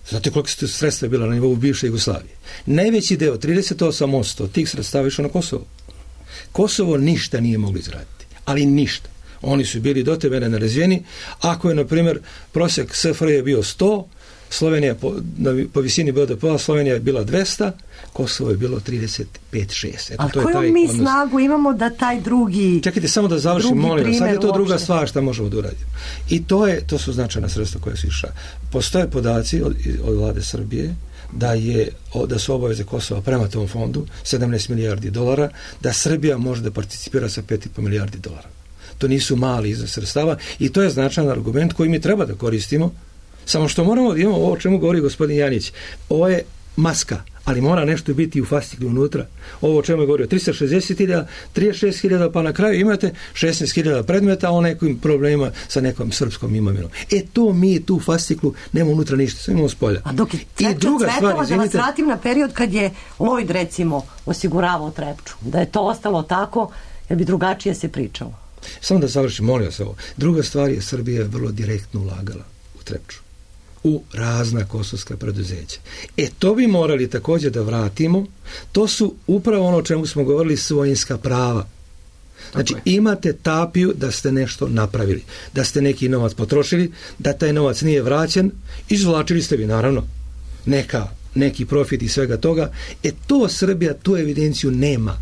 Znate koliko su sredstva bila na nivou bivše Jugoslavije? Najveći deo, trideset osam posto tih sredstava išlo na Kosovo. Kosovo ništa nije moglo izraditi. Ali ništa. Oni su bili do tebe nerazvijeni. Ako je, na primjer, prosjek S F R J je bio sto, Slovenija po, na, po visini B D P-a, Slovenija je bila dvesta, Kosovo je bilo trideset pet šest. Eto, a to je koju taj mi odnos. Snagu imamo da taj drugi... Čekajte, samo da završim, molim vas. Sad je to uopšte. druga stvar što možemo da uradimo. I to, je, to su značajna sredstva koja su išla. Postoje podaci od, od vlade Srbije da je da su obaveze Kosova prema tom fondu sedamnaest milijardi dolara, da Srbija može da participira sa pet i po milijardi dolara. To nisu mali iznos sredstava i to je značajan argument koji mi treba da koristimo, samo što moramo da imamo ovo o čemu govori gospodin Janić. Ovo je maska, ali mora nešto biti u fasciklu unutra. Ovo o čemu je govorio, tristo šezdeset hiljada, trideset šest hiljada, pa na kraju imate šesnaest hiljada predmeta o nekim problemima sa nekom srpskom imovinom. E to mi tu fasciklu nemamo unutra ništa, sve imamo s polja. A dok je I druga stvar, da vas izvinite, vratim na period kad je Lloyd recimo osiguravao Trepču, da je to ostalo tako, jer bi drugačije se pričalo. Samo da završim, molim vas ovo. Druga stvar je, Srbija je vrlo direktno ulagala u Trepču, u razna kosovska preduzeća. E to bi morali također da vratimo. To su upravo ono o čemu smo govorili, svojinska prava. Znači imate tapiju da ste nešto napravili, da ste neki novac potrošili, da taj novac nije vraćen, izvlačili ste vi naravno neka, neki profit i svega toga. E to Srbija tu evidenciju nema.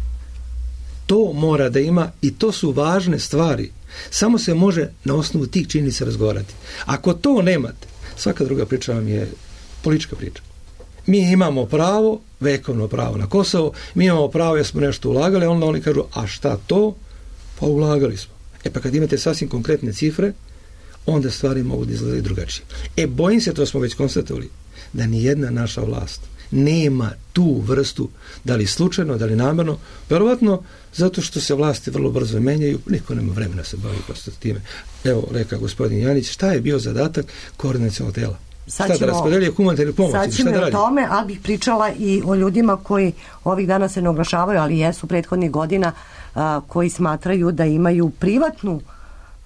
To mora da ima i to su važne stvari. Samo se može na osnovu tih činjenica razgovarati. Ako to nemate, svaka druga priča vam je politička priča. Mi imamo pravo, vekovno pravo na Kosovo, mi imamo pravo jer smo nešto ulagali, onda oni kažu, a šta to? Pa ulagali smo. E pa kad imate sasvim konkretne cifre, onda stvari mogu da izgledaju drugačije. E bojim se, to smo već konstatovali, da ni jedna naša vlast nema tu vrstu, da li slučajno, da li namjerno, verovatno zato što se vlasti vrlo brzo menjaju, niko nema vremena se bavi prosto time. Evo, reka gospodin Janić, šta je bio zadatak koordinacionog tela? Sad šta da raspodeljuje humanitarnu pomoć? Sad ćemo o tome, ali bih pričala i o ljudima koji ovih dana se ne oglašavaju, ali jesu prethodnih godina, a, koji smatraju da imaju privatnu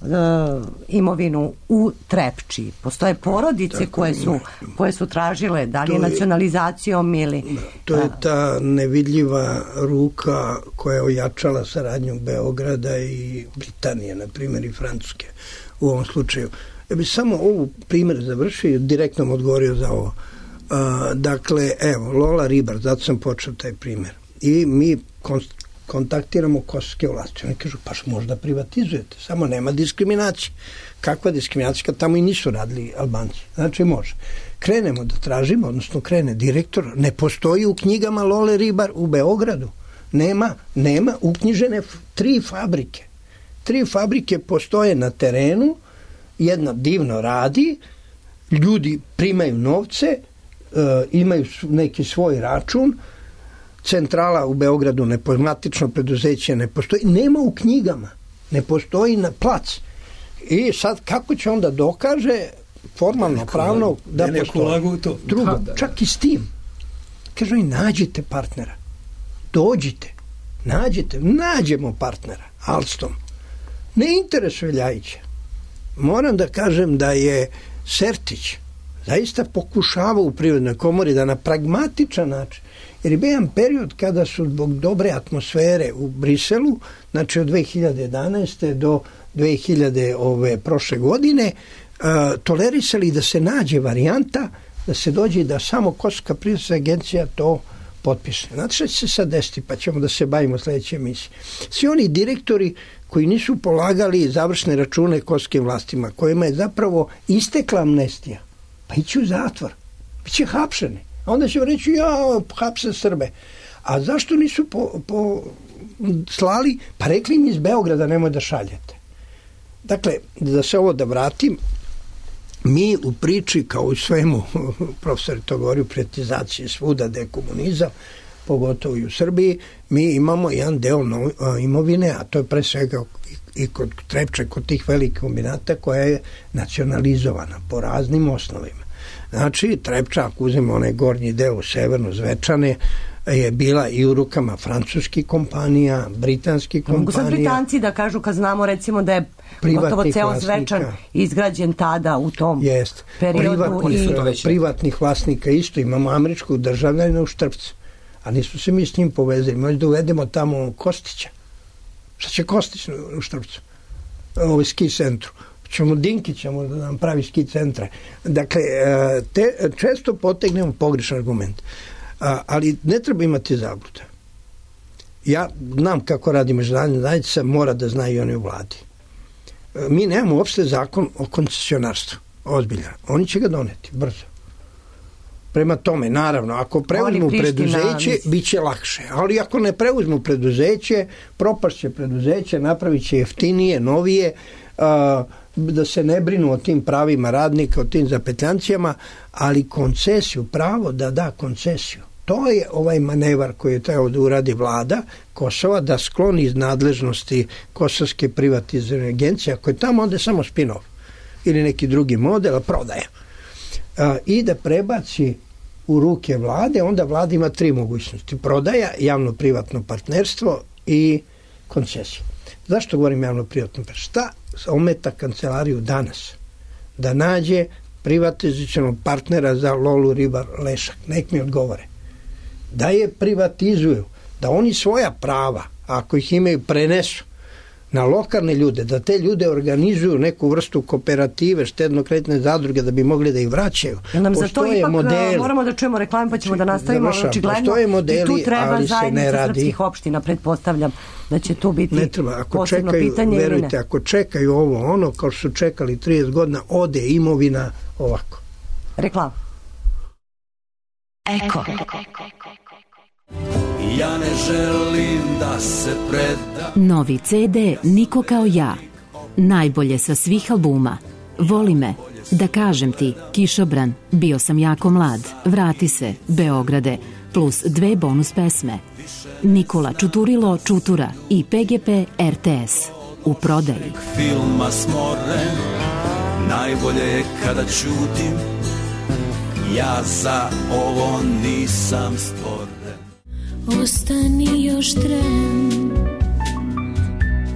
a, imovinu u Trepči. Postoje porodice tako, koje su, koje su tražile, da li je nacionalizacijom ili... To je ta nevidljiva ruka koja je ojačala saradnju Beograda i Britanije, na primjer i Francuske u ovom slučaju. Ja bih samo ovu primjer završio i direktno odgovorio za ovo. Uh, dakle, evo, Lola Ribar, zato sam počeo taj primjer. I mi konst, kontaktiramo kosovske vlasti. Oni kažu, pa možda privatizujete, samo nema diskriminacije. Kakva diskriminacija kad tamo i nisu radili Albanci? Znači, može. Krenemo da tražimo, odnosno krene direktor, ne postoji u knjigama Lole Ribar u Beogradu. Nema, nema uknjižene tri fabrike. Tri fabrike postoje na terenu, jedna divno radi, ljudi primaju novce, e, imaju neki svoj račun, centrala u Beogradu nepozmatično preduzeće ne postoji, nema u knjigama, ne postoji na plac. I sad kako će onda dokaže formalno, pravno da postoji? Drugo, čak i s tim. Kažu i nađite partnera, dođite, nađite, nađemo partnera, Alstom. Ne interesuje Ljajića. Moram da kažem da je Sertić zaista pokušavao u Privrednoj komori da na pragmatičan način, jer je bio jedan period kada su zbog dobre atmosfere u Briselu, znači od dve hiljade jedanaeste do dve hiljade ove prošle godine, uh, tolerisali da se nađe varijanta da se dođe i da samo Kosovska privredna agencija to potpiše. Znači što će se sad desiti, pa ćemo da se bavimo sljedeće emisije. Svi oni direktori koji nisu polagali završne račune kosovskim vlastima, kojima je zapravo istekla amnestija, pa ići u zatvor, biće hapšeni. A onda će reći, ja, hapse Srbe. A zašto nisu po, po slali? Pa rekli im iz Beograda nemoj da šaljete. Dakle, da se ovo da vratim, mi u priči, kao u svemu, profesor to govori, u privatizaciji svuda, dekomunizam, pogotovo i u Srbiji, mi imamo jedan deo no, imovine, a to je pre svega i kod Trepče, kod tih velikih kombinata koja je nacionalizovana po raznim osnovima. Znači, Trepča, ako uzmemo onaj gornji deo severno Zvečane, je bila i u rukama francuskih kompanija, britanskih kompanija. Mogu sad Britanci da kažu kad znamo recimo da je gotovo ceo Zvečan izgrađen tada u tom Jest. periodu. Privatnih, i... privatnih vlasnika isto. Imamo američkog državljana u Štrpcu. A nismo se mi s njim povezali. Možda da uvedemo tamo Kostića. Šta će Kostić u Štrpcu? Ovo ski centru. Ćemo Dinkića možda da nam pravi ski centra. Dakle, te, često potegnemo pogrešan argument. Ali ne treba imati zablude. Ja znam kako radi međunarodna zajednica, mora da znaju i oni u vladi. Mi nemamo uopšte zakon o koncesionarstvu. Ozbiljan. Oni će ga doneti brzo. Prema tome, naravno, ako preuzmu preduzeće, bit će lakše. Ali ako ne preuzmu preduzeće, propašće preduzeće, napravit će jeftinije, novije, a, da se ne brinu o tim pravima radnika, o tim zapetljancijama, ali koncesiju, pravo da da koncesiju. To je ovaj manevar koji je trebao da uradi vlada Kosova, da skloni iz nadležnosti Kosovske privatizirane agencije, ako je tamo onda je samo spin-off ili neki drugi model, prodaja. A, i da prebaci u ruke vlade, onda vlada ima tri mogućnosti. Prodaja, javno-privatno partnerstvo i koncesija. Zašto govorim javno-privatno partnerstvo? Šta ometa kancelariju danas? Da nađe privatizacionog partnera za Lolu Ribar Lešak. Nek mi odgovore. Da je privatizuju, da oni svoja prava, ako ih imaju, prenesu na lokalne ljude, da te ljude organizuju neku vrstu kooperative, štedno-kreditne zadruge, da bi mogli da ih vraćaju. Nam za to ipak modeli. Moramo da čujemo reklame, pa ćemo da nastavimo. Očigledno, modeli, i tu treba zajednica radi. srpskih opština, pretpostavljam da će tu biti ne treba. Ako posebno čekaju, pitanje. Verujte, ako čekaju ovo ono, kao su čekali trideset godina, ode imovina ovako. Reklama. Eko. Ja ne želim da se preda. Novi ce de Niko kao ja. Najbolje sa svih albuma. Voli me, Da kažem ti, Kišobran, bio sam jako mlad, vrati se, Beograde, plus dve bonus pesme. Nikola Čuturilo Čutura i P G P R T S. U prodaji. Filma smoren, najbolje je kada ćutim, ja za ovo nisam stvoren. Ostani još tren,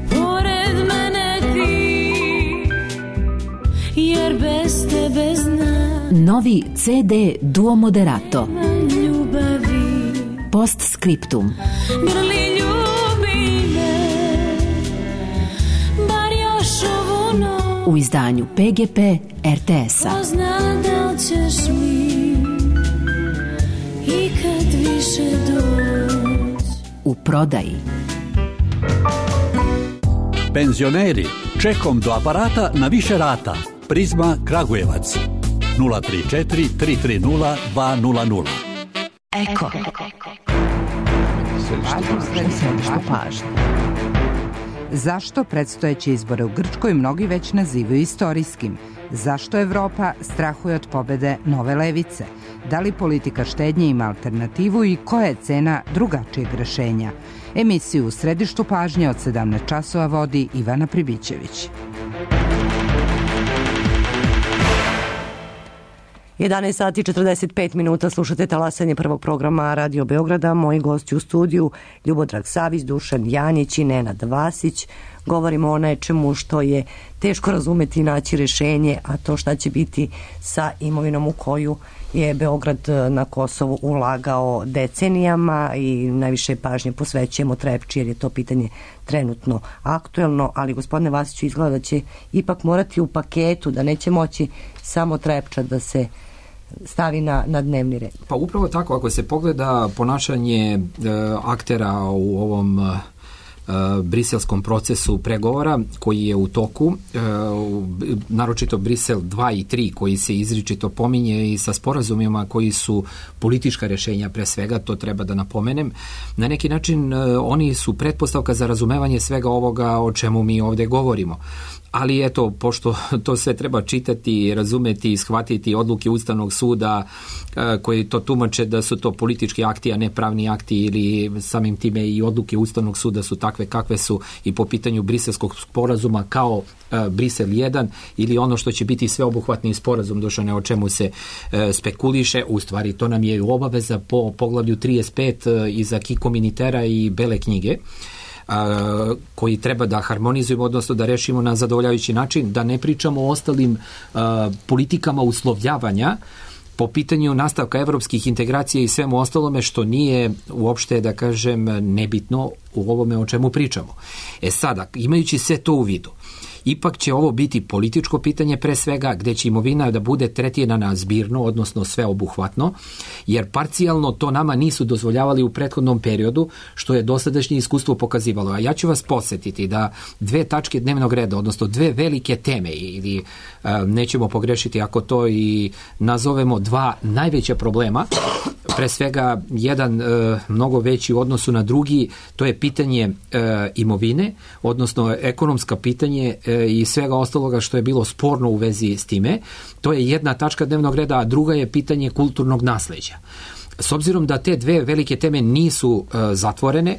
pored mene ti, jer bez tebe znam. Novi C D Duo Moderato. Ljubavi. Postscriptum. Grli ljubi me, bar još ovu noć. U izdanju P G P R T S-a. Ko zna da li ćeš mi ikad više doći. U prodaji. Penzioneri, čekom do aparata na više rata. Prizma Kragujevac. nula tri četiri tri tri nula dva nula nula. Eko. Središte pažnje. Zašto predstojeće izbore u Grčkoj mnogi već nazivaju istorijskim? Zašto Evropa strahuje od pobede nove levice? Da li politika štednje ima alternativu i koja je cena drugačijeg rešenja? Emisiju u središtu pažnje od sedamnaest časova vodi Ivana Pribićević. jedanaest sati i četrdeset pet minuta, slušate talasanje prvog programa Radio Beograda. Moji gosti u studiju Ljubodrag Savić, Dušan Janjić i Nenad Vasić. Govorimo o nečemu što je teško razumeti i naći rešenje, a to šta će biti sa imovinom u koju je Beograd na Kosovu ulagao decenijama i najviše pažnje posvećujemo Trepči jer je to pitanje trenutno aktuelno, ali gospodine Vasiću, izgleda da će ipak morati u paketu, da neće moći samo Trepča da se stavi na, na dnevni red. Pa upravo tako, ako se pogleda ponašanje e, aktera u ovom e, briselskom procesu pregovora koji je u toku, e, naročito Brisel dva i tri koji se izričito pominje i sa sporazumima koji su politička rešenja pre svega, to treba da napomenem. Na neki način e, oni su pretpostavka za razumevanje svega ovoga o čemu mi ovde govorimo. Ali eto, pošto to sve treba čitati, razumeti i shvatiti odluke Ustavnog suda koji to tumače da su to politički akti, a ne pravni akti, ili samim time i odluke Ustavnog suda su takve kakve su i po pitanju briselskog sporazuma kao Brisel jedan ili ono što će biti sveobuhvatni sporazum, Dušane, o čemu se spekuliše, u stvari to nam je obaveza po poglavlju trideset pet iz Acquis Communautaire i Bele knjige, A, koji treba da harmonizujemo, odnosno da rešimo na zadovoljavajući način, da ne pričamo o ostalim a, politikama uslovljavanja po pitanju nastavka evropskih integracija i svemu ostalome što nije uopšte, da kažem, nebitno u ovome o čemu pričamo. E sada, imajući sve to u vidu, ipak će ovo biti političko pitanje pre svega, gde će imovina da bude tretirana zbirno, odnosno sveobuhvatno, jer parcijalno to nama nisu dozvoljavali u prethodnom periodu, što je dosadašnje iskustvo pokazivalo. A ja ću vas podsjetiti da dve tačke dnevnog reda, odnosno dve velike teme, ili nećemo pogrešiti ako to i nazovemo dva najveća problema, pre svega jedan e, mnogo veći u odnosu na drugi, to je pitanje e, imovine, odnosno ekonomska pitanje e, i svega ostaloga što je bilo sporno u vezi s time. To je jedna tačka dnevnog reda, a druga je pitanje kulturnog nasleđa. S obzirom da te dve velike teme nisu e, zatvorene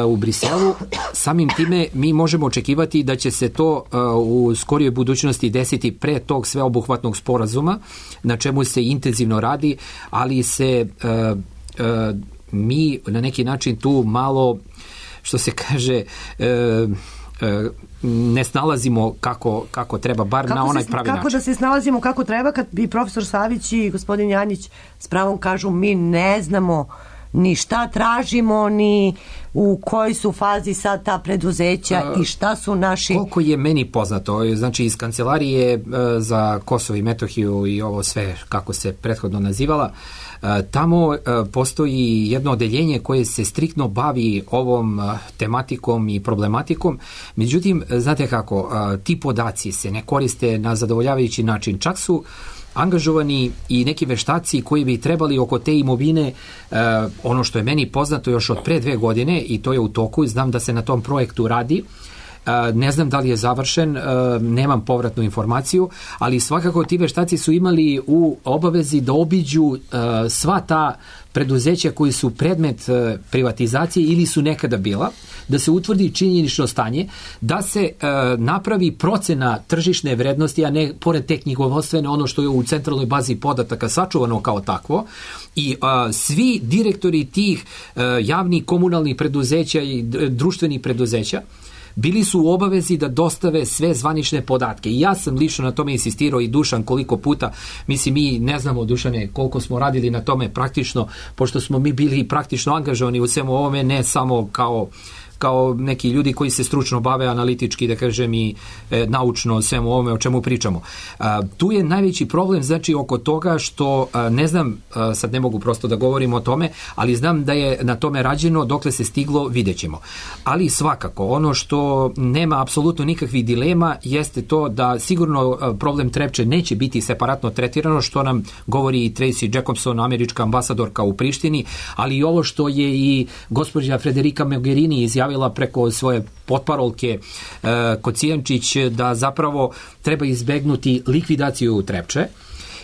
u Briselu, samim time mi možemo očekivati da će se to u skorijoj budućnosti desiti pre tog sveobuhvatnog sporazuma, na čemu se intenzivno radi, ali se mi na neki način tu malo, što se kaže, ne snalazimo kako, kako treba, bar kako na onaj se, pravi kako način. Kako da se snalazimo kako treba kad bi profesor Savić i gospodin Janjić s pravom kažu mi ne znamo ni šta tražimo, ni u kojoj su fazi sad ta preduzeća a, i šta su naši... Koliko je meni poznato, znači iz kancelarije e, za Kosovo i Metohiju i ovo sve kako se prethodno nazivala, e, tamo e, postoji jedno odeljenje koje se striktno bavi ovom e, tematikom i problematikom. Međutim, znate kako, e, ti podaci se ne koriste na zadovoljavajući način. Čak su angažovani i neki veštaci koji bi trebali oko te imovine, eh, ono što je meni poznato još od pre dve godine i to je u toku, znam da se na tom projektu radi, ne znam da li je završen, nemam povratnu informaciju, ali svakako ti veštaci su imali u obavezi da obiđu sva ta preduzeća koji su predmet privatizacije ili su nekada bila, da se utvrdi činjenično stanje, da se e, napravi procena tržišne vrednosti, a ne pored te knjigovodstvene ono što je u centralnoj bazi podataka sačuvano kao takvo, i a, svi direktori tih e, javnih komunalnih preduzeća i društvenih preduzeća bili su u obavezi da dostave sve zvanične podatke. I ja sam lično na tome insistirao i Dušan koliko puta, mislim mi ne znamo, Dušane, koliko smo radili na tome praktično, pošto smo mi bili praktično angažovani u svemu ovome, ne samo kao kao neki ljudi koji se stručno bave analitički, da kažem, i e, naučno svemu ovome o čemu pričamo. A, tu je najveći problem, znači, oko toga što, a, ne znam, a, sad ne mogu prosto da govorim o tome, ali znam da je na tome rađeno, dokle se stiglo, vidjet ćemo. Ali svakako, ono što nema apsolutno nikakvih dilema jeste to da sigurno a, problem Trepče neće biti separatno tretirano, što nam govori i Tracy Jacobson, američka ambasadorka u Prištini, ali i ovo što je i gospođa Federica Mogherini izjavila preko svoje potparolke e, Kocijančić, da zapravo treba izbegnuti likvidaciju Trepče.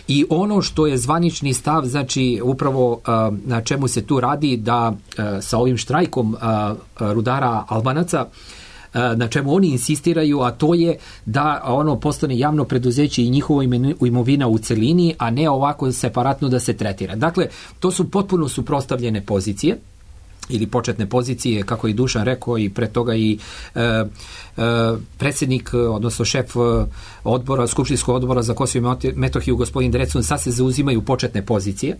I ono što je zvanični stav, znači upravo a, na čemu se tu radi, da a, sa ovim štrajkom a, a, rudara Albanaca, a, na čemu oni insistiraju, a to je da ono postane javno preduzeće i njihova imovina u celini, a ne ovako separatno da se tretira. Dakle, to su potpuno suprotstavljene pozicije ili početne pozicije, kako je Dušan rekao, i pre toga i e, e, predsjednik, odnosno šef odbora, Skupštinskog odbora za Kosovo i Metohiju, gospodin Drecun, sad se zauzimaju početne pozicije,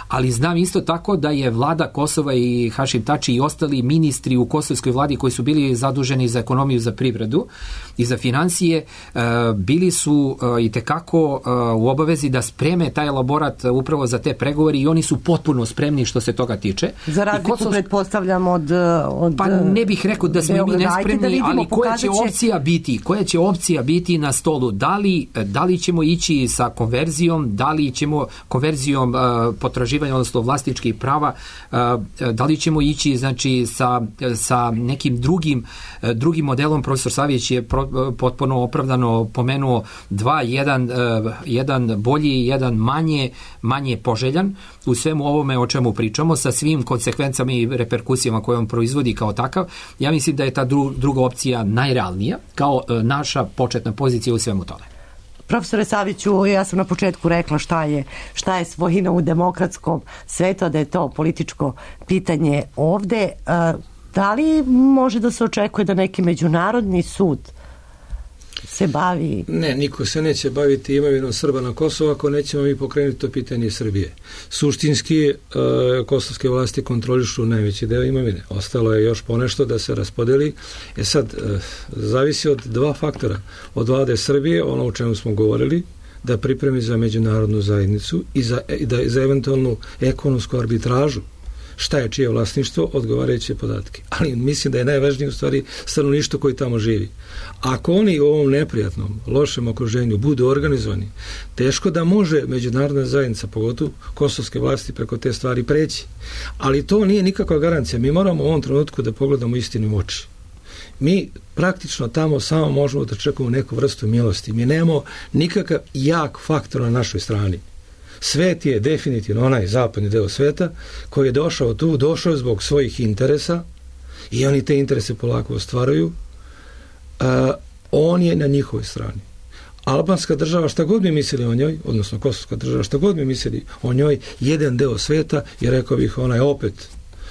ali znam isto tako da je vlada Kosova i Hašim Tači i ostali ministri u kosovskoj vladi koji su bili zaduženi za ekonomiju, za privredu i za financije, e, bili su e, i tekako e, u obavezi da spreme taj elaborat upravo za te pregovori i oni su potpuno spremni što se toga tiče. Za razliku, Kosov... pretpostavljam, od, od... Pa ne bih rekao da smo mi nespremni, vidimo, ali koja će opcija biti? Koja će opcija biti na stolu? Da li, da li ćemo ići sa konverzijom, da li ćemo konverzijom uh, potraživanja, odnosno vlasničkih prava, uh, da li ćemo ići, znači, sa, sa nekim drugim, uh, drugim modelom. Profesor Savić je pro, potpuno opravdano pomenuo dva, jedan, uh, jedan bolji, jedan manje, manje poželjan u svemu ovome o čemu pričamo, sa svim konsekvencama i reperkusijama koje on proizvodi kao takav. Ja mislim da je ta dru, druga opcija najrealnija kao uh, naša početna pozicija u svemu tome. Profesore Saviću, ja sam na početku rekla šta je, šta je svojina u demokratskom svetu, da je to političko pitanje ovde. Da li može da se očekuje da neki međunarodni sud se bavi? Ne, niko se neće baviti imovinom Srba na Kosovu ako nećemo mi pokrenuti to pitanje Srbije. Suštinski, e, kosovske vlasti kontrolišu najveći deo imovine. Ostalo je još ponešto da se raspodeli. E sad, e, zavisi od dva faktora. Od vlade Srbije, ono o čemu smo govorili, da pripremi za međunarodnu zajednicu i za, i da, za eventualnu ekonomsku arbitražu šta je čije vlasništvo, odgovarajuće podatke. Ali mislim da je najvažnije u stvari stanovništvo koji tamo živi. Ako oni u ovom neprijatnom, lošem okruženju budu organizovani, teško da može međunarodna zajednica, pogotovo kosovske vlasti, preko te stvari preći. Ali to nije nikakva garancija. Mi moramo u ovom trenutku da pogledamo istinu u oči. Mi praktično tamo samo možemo da čekamo neku vrstu milosti. Mi nemamo nikakav jak faktor na našoj strani. Svet je definitivno onaj zapadni deo sveta koji je došao tu, došao zbog svojih interesa i oni te interese polako ostvaruju. Uh, on je na njihovoj strani. Albanska država, šta god mi mislili o njoj, odnosno kosovska država, šta god mi mislili o njoj, jedan deo sveta, i rekao bih onaj opet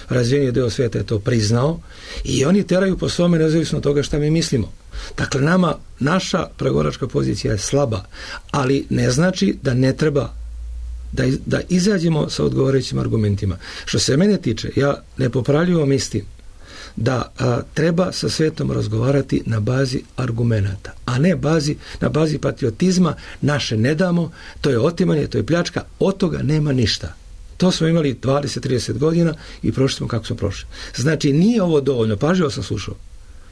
razvijeniji deo sveta je to priznao i oni teraju po svome nezavisno od toga šta mi mislimo. Dakle, nama, naša pregovaračka pozicija je slaba, ali ne znači da ne treba Da, da izađemo sa odgovarajućim argumentima. Što se mene tiče, ja nepopravljivo mislim da a, treba sa svetom razgovarati na bazi argumenata, a ne bazi, na bazi patriotizma, naše ne damo, to je otimanje, to je pljačka, od toga nema ništa. To smo imali dvadeset trideset godina i prošli smo kako smo prošli. Znači, nije ovo dovoljno, pažljivo sam slušao.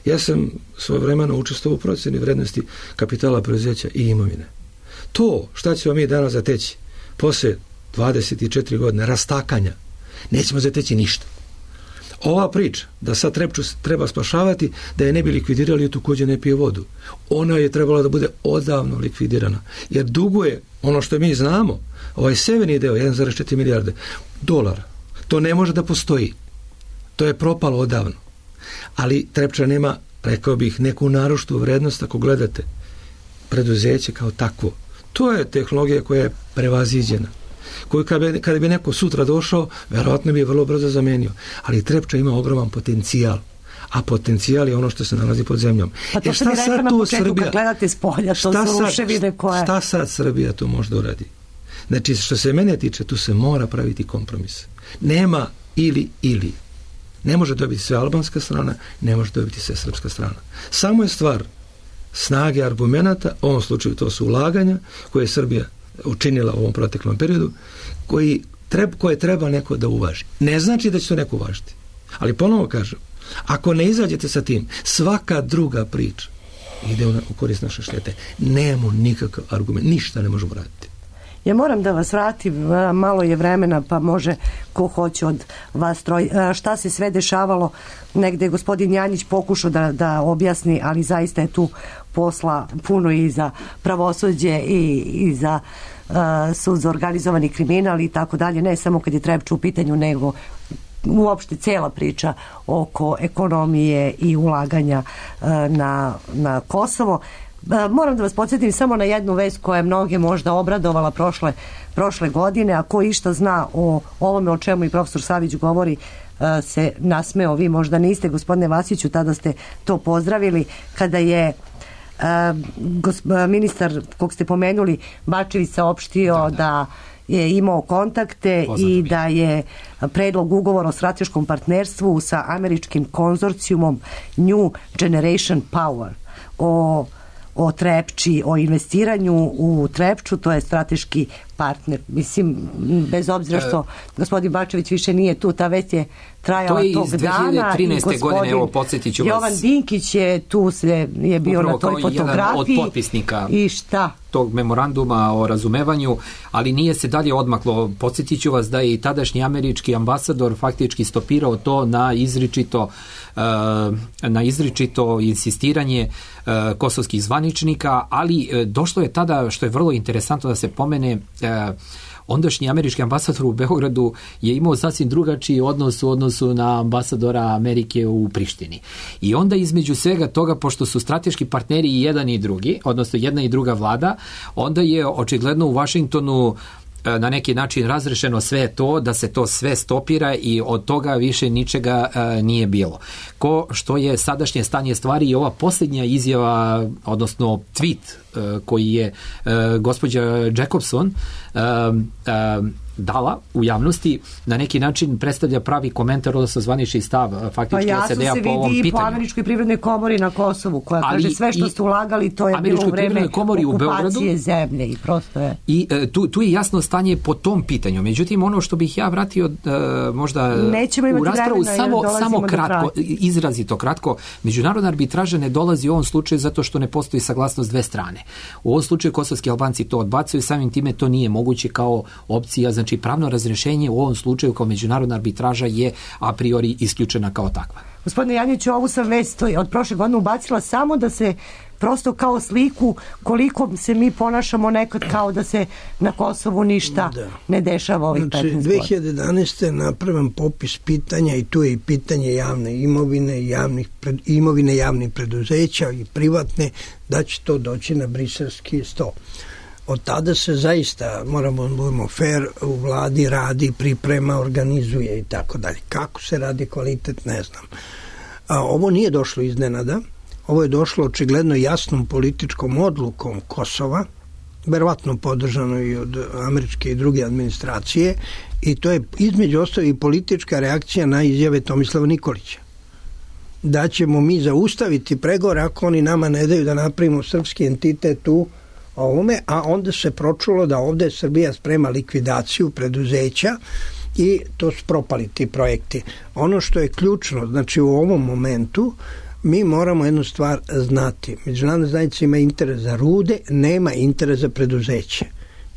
Ja sam svojevremeno učestvovao u procjeni vrednosti kapitala, preduzeća i imovine. To, šta ćemo mi danas zateći posle dvadeset četiri godine rastakanja, nećemo zateći ništa. Ova priča da sad Trepču treba spašavati, da je ne bi likvidirali, je također ne pije vodu. Ona je trebala da bude odavno likvidirana, jer duguje, ono što mi znamo, ovaj severni deo, jedan zarez četiri milijarde dolara, to ne može da postoji. To je propalo odavno. Ali Trepča nema, rekao bih, neku naročtu vrednost ako gledate preduzeće kao takvo. To je tehnologija koja je prevaziđena, koju kada bi, kada bi neko sutra došao, verovatno bi je vrlo brzo zamenio. Ali Trepča ima ogroman potencijal, a potencijal je ono što se nalazi pod zemljom. Pa to e, što bi rekla na početku, Srbija, kad gledate s polja, to su ruševine koje... Šta sad Srbija to može da uradi? Znači, što se mene tiče, tu se mora praviti kompromis. Nema ili, ili. Ne može dobiti sve albanska strana, ne može dobiti sve srpska strana. Samo je stvar snage argumenata, u ovom slučaju to su ulaganja koje je Srbija učinila u ovom proteklom periodu, koji treba, koje treba neko da uvaži. Ne znači da će to neko uvažiti. Ali ponovo kažem, ako ne izađete sa tim, svaka druga priča ide u korist naše štete. Nemamo nikakav argument, ništa ne možemo raditi. Ja moram da vas vratim, malo je vremena, pa može ko hoće od vas troj. Šta se sve dešavalo, negde je gospodin Janjić pokušao da, da objasni, ali zaista je tu posla puno i za pravosuđe i, i za uh, sud za organizovani kriminal i tako dalje, ne samo kad je Trepča u pitanju, nego uopšte cela priča oko ekonomije i ulaganja uh, na, na Kosovo. Moram da vas podsjetim samo na jednu vest koja je mnoge možda obradovala prošle, prošle godine, a ko išta zna o ovome o čemu i profesor Savić govori se nasmeo. Vi možda niste, gospodine Vasiću, tada ste to pozdravili kada je ministar kog ste pomenuli Bačević saopštio da, da. da je imao kontakte Poznato i mi. da je predlog ugovora o strateškom partnerstvu sa američkim konzorcijumom New Generation Power o o Trepči, o investiranju u Trepču, to je strateški partner. Mislim, bez obzira što gospodin Bačević više nije tu, ta već je trajala tog dana. To je iz dve hiljade trinaeste godine, evo, podsjetit ću vas. Jovan Dinkić je tu, se, je bio upravo na toj fotografiji. Jedan od potpisnika i šta? Tog memoranduma o razumevanju, ali nije se dalje odmaklo. Podsjetit ću vas da je i tadašnji američki ambasador faktički stopirao to na izričito na izričito insistiranje kosovskih zvaničnika, ali došlo je tada, što je vrlo interesantno da se pomene, ondašnji američki ambasador u Beogradu je imao sasvim drugačiji odnos u odnosu na ambasadora Amerike u Prištini. I onda između svega toga, pošto su strateški partneri i jedan i drugi, odnosno jedna i druga vlada, onda je očigledno u Vašingtonu na neki način razrešeno sve to, da se to sve stopira i od toga više ničega e, nije bilo. Ko što je sadašnje stanje stvari i ova posljednja izjava, odnosno tweet e, koji je e, gospođa Jacobson e, e, dala u javnosti, na neki način predstavlja pravi komentar, odnosno zvanični stav faktički pa S A D-a po ovom pitanju. Pa jasno se vidi i po Američkoj privrednoj komori na Kosovu, koja ali kaže sve što ste ulagali, to je bilo u vreme okupacije zemlje i prosto je. I e, tu, tu je jasno stanje po tom pitanju. Međutim, ono što bih ja vratio e, možda u raspravu samo, samo kratko, izrazito kratko, međunarodna arbitraža ne dolazi u ovom slučaju zato što ne postoji saglasnost dve strane. U ovom slučaju kosovski Albanci to odbacuju, samim time to nije moguće kao opcija, znači pravno razrješenje u ovom slučaju kao međunarodna arbitraža je a priori isključena kao takva. Gospodine Janjiću, ovu sam vest od prošle godine ubacila samo da se prosto kao sliku koliko se mi ponašamo nekad kao da se na Kosovu ništa da. ne dešava ovih znači, petnaest godina. dve hiljade jedanaeste je napravan popis pitanja i tu je i pitanje javne imovine, javnih pred, imovine javnih preduzeća i privatne, da će to doći na briselski sto. Od tada se zaista, moramo da budemo fair, u vladi radi, priprema, organizuje i tako dalje. Kako se radi kvalitet, ne znam. A, ovo nije došlo iznenada, ovo je došlo očigledno jasnom političkom odlukom Kosova, verovatno podržano i od američke i druge administracije, i to je između ostalo i politička reakcija na izjave Tomislava Nikolića. Da ćemo mi zaustaviti pregovore ako oni nama ne daju da napravimo srpski entitet u ovome, a onda se pročulo da ovde Srbija sprema likvidaciju preduzeća i to su propali ti projekti. Ono što je ključno, znači u ovom momentu mi moramo jednu stvar znati. Međunarodna zajednica ima interes za rude, nema interes za preduzeće.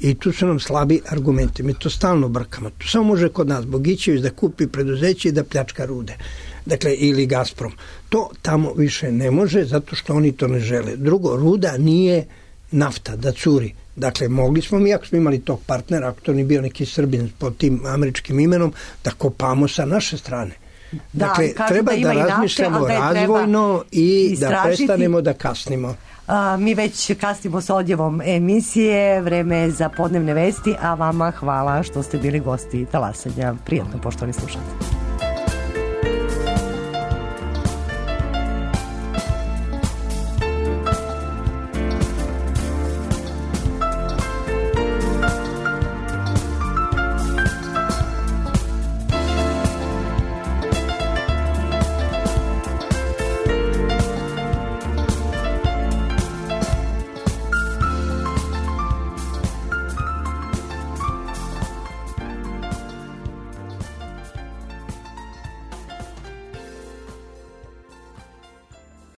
i tu su nam slabi argumenti. Mi to stalno brkamo. To samo može kod nas Bogićević da kupi preduzeće i da pljačka rude. Dakle, ili Gazprom. To tamo više ne može zato što oni to ne žele. Drugo, ruda nije nafta da curi. Dakle, mogli smo mi, ako smo imali tog partnera, ako to ni bio neki Srbin pod tim američkim imenom, da kopamo sa naše strane. Da, dakle, treba da, da razmišljamo nafte, razvojno i da prestanemo da kasnimo. A, mi već kasnimo s odjevom emisije, vreme je za podnevne vesti, a vama hvala što ste bili gosti Talasanja. Prijatno, poštovani slušatelji.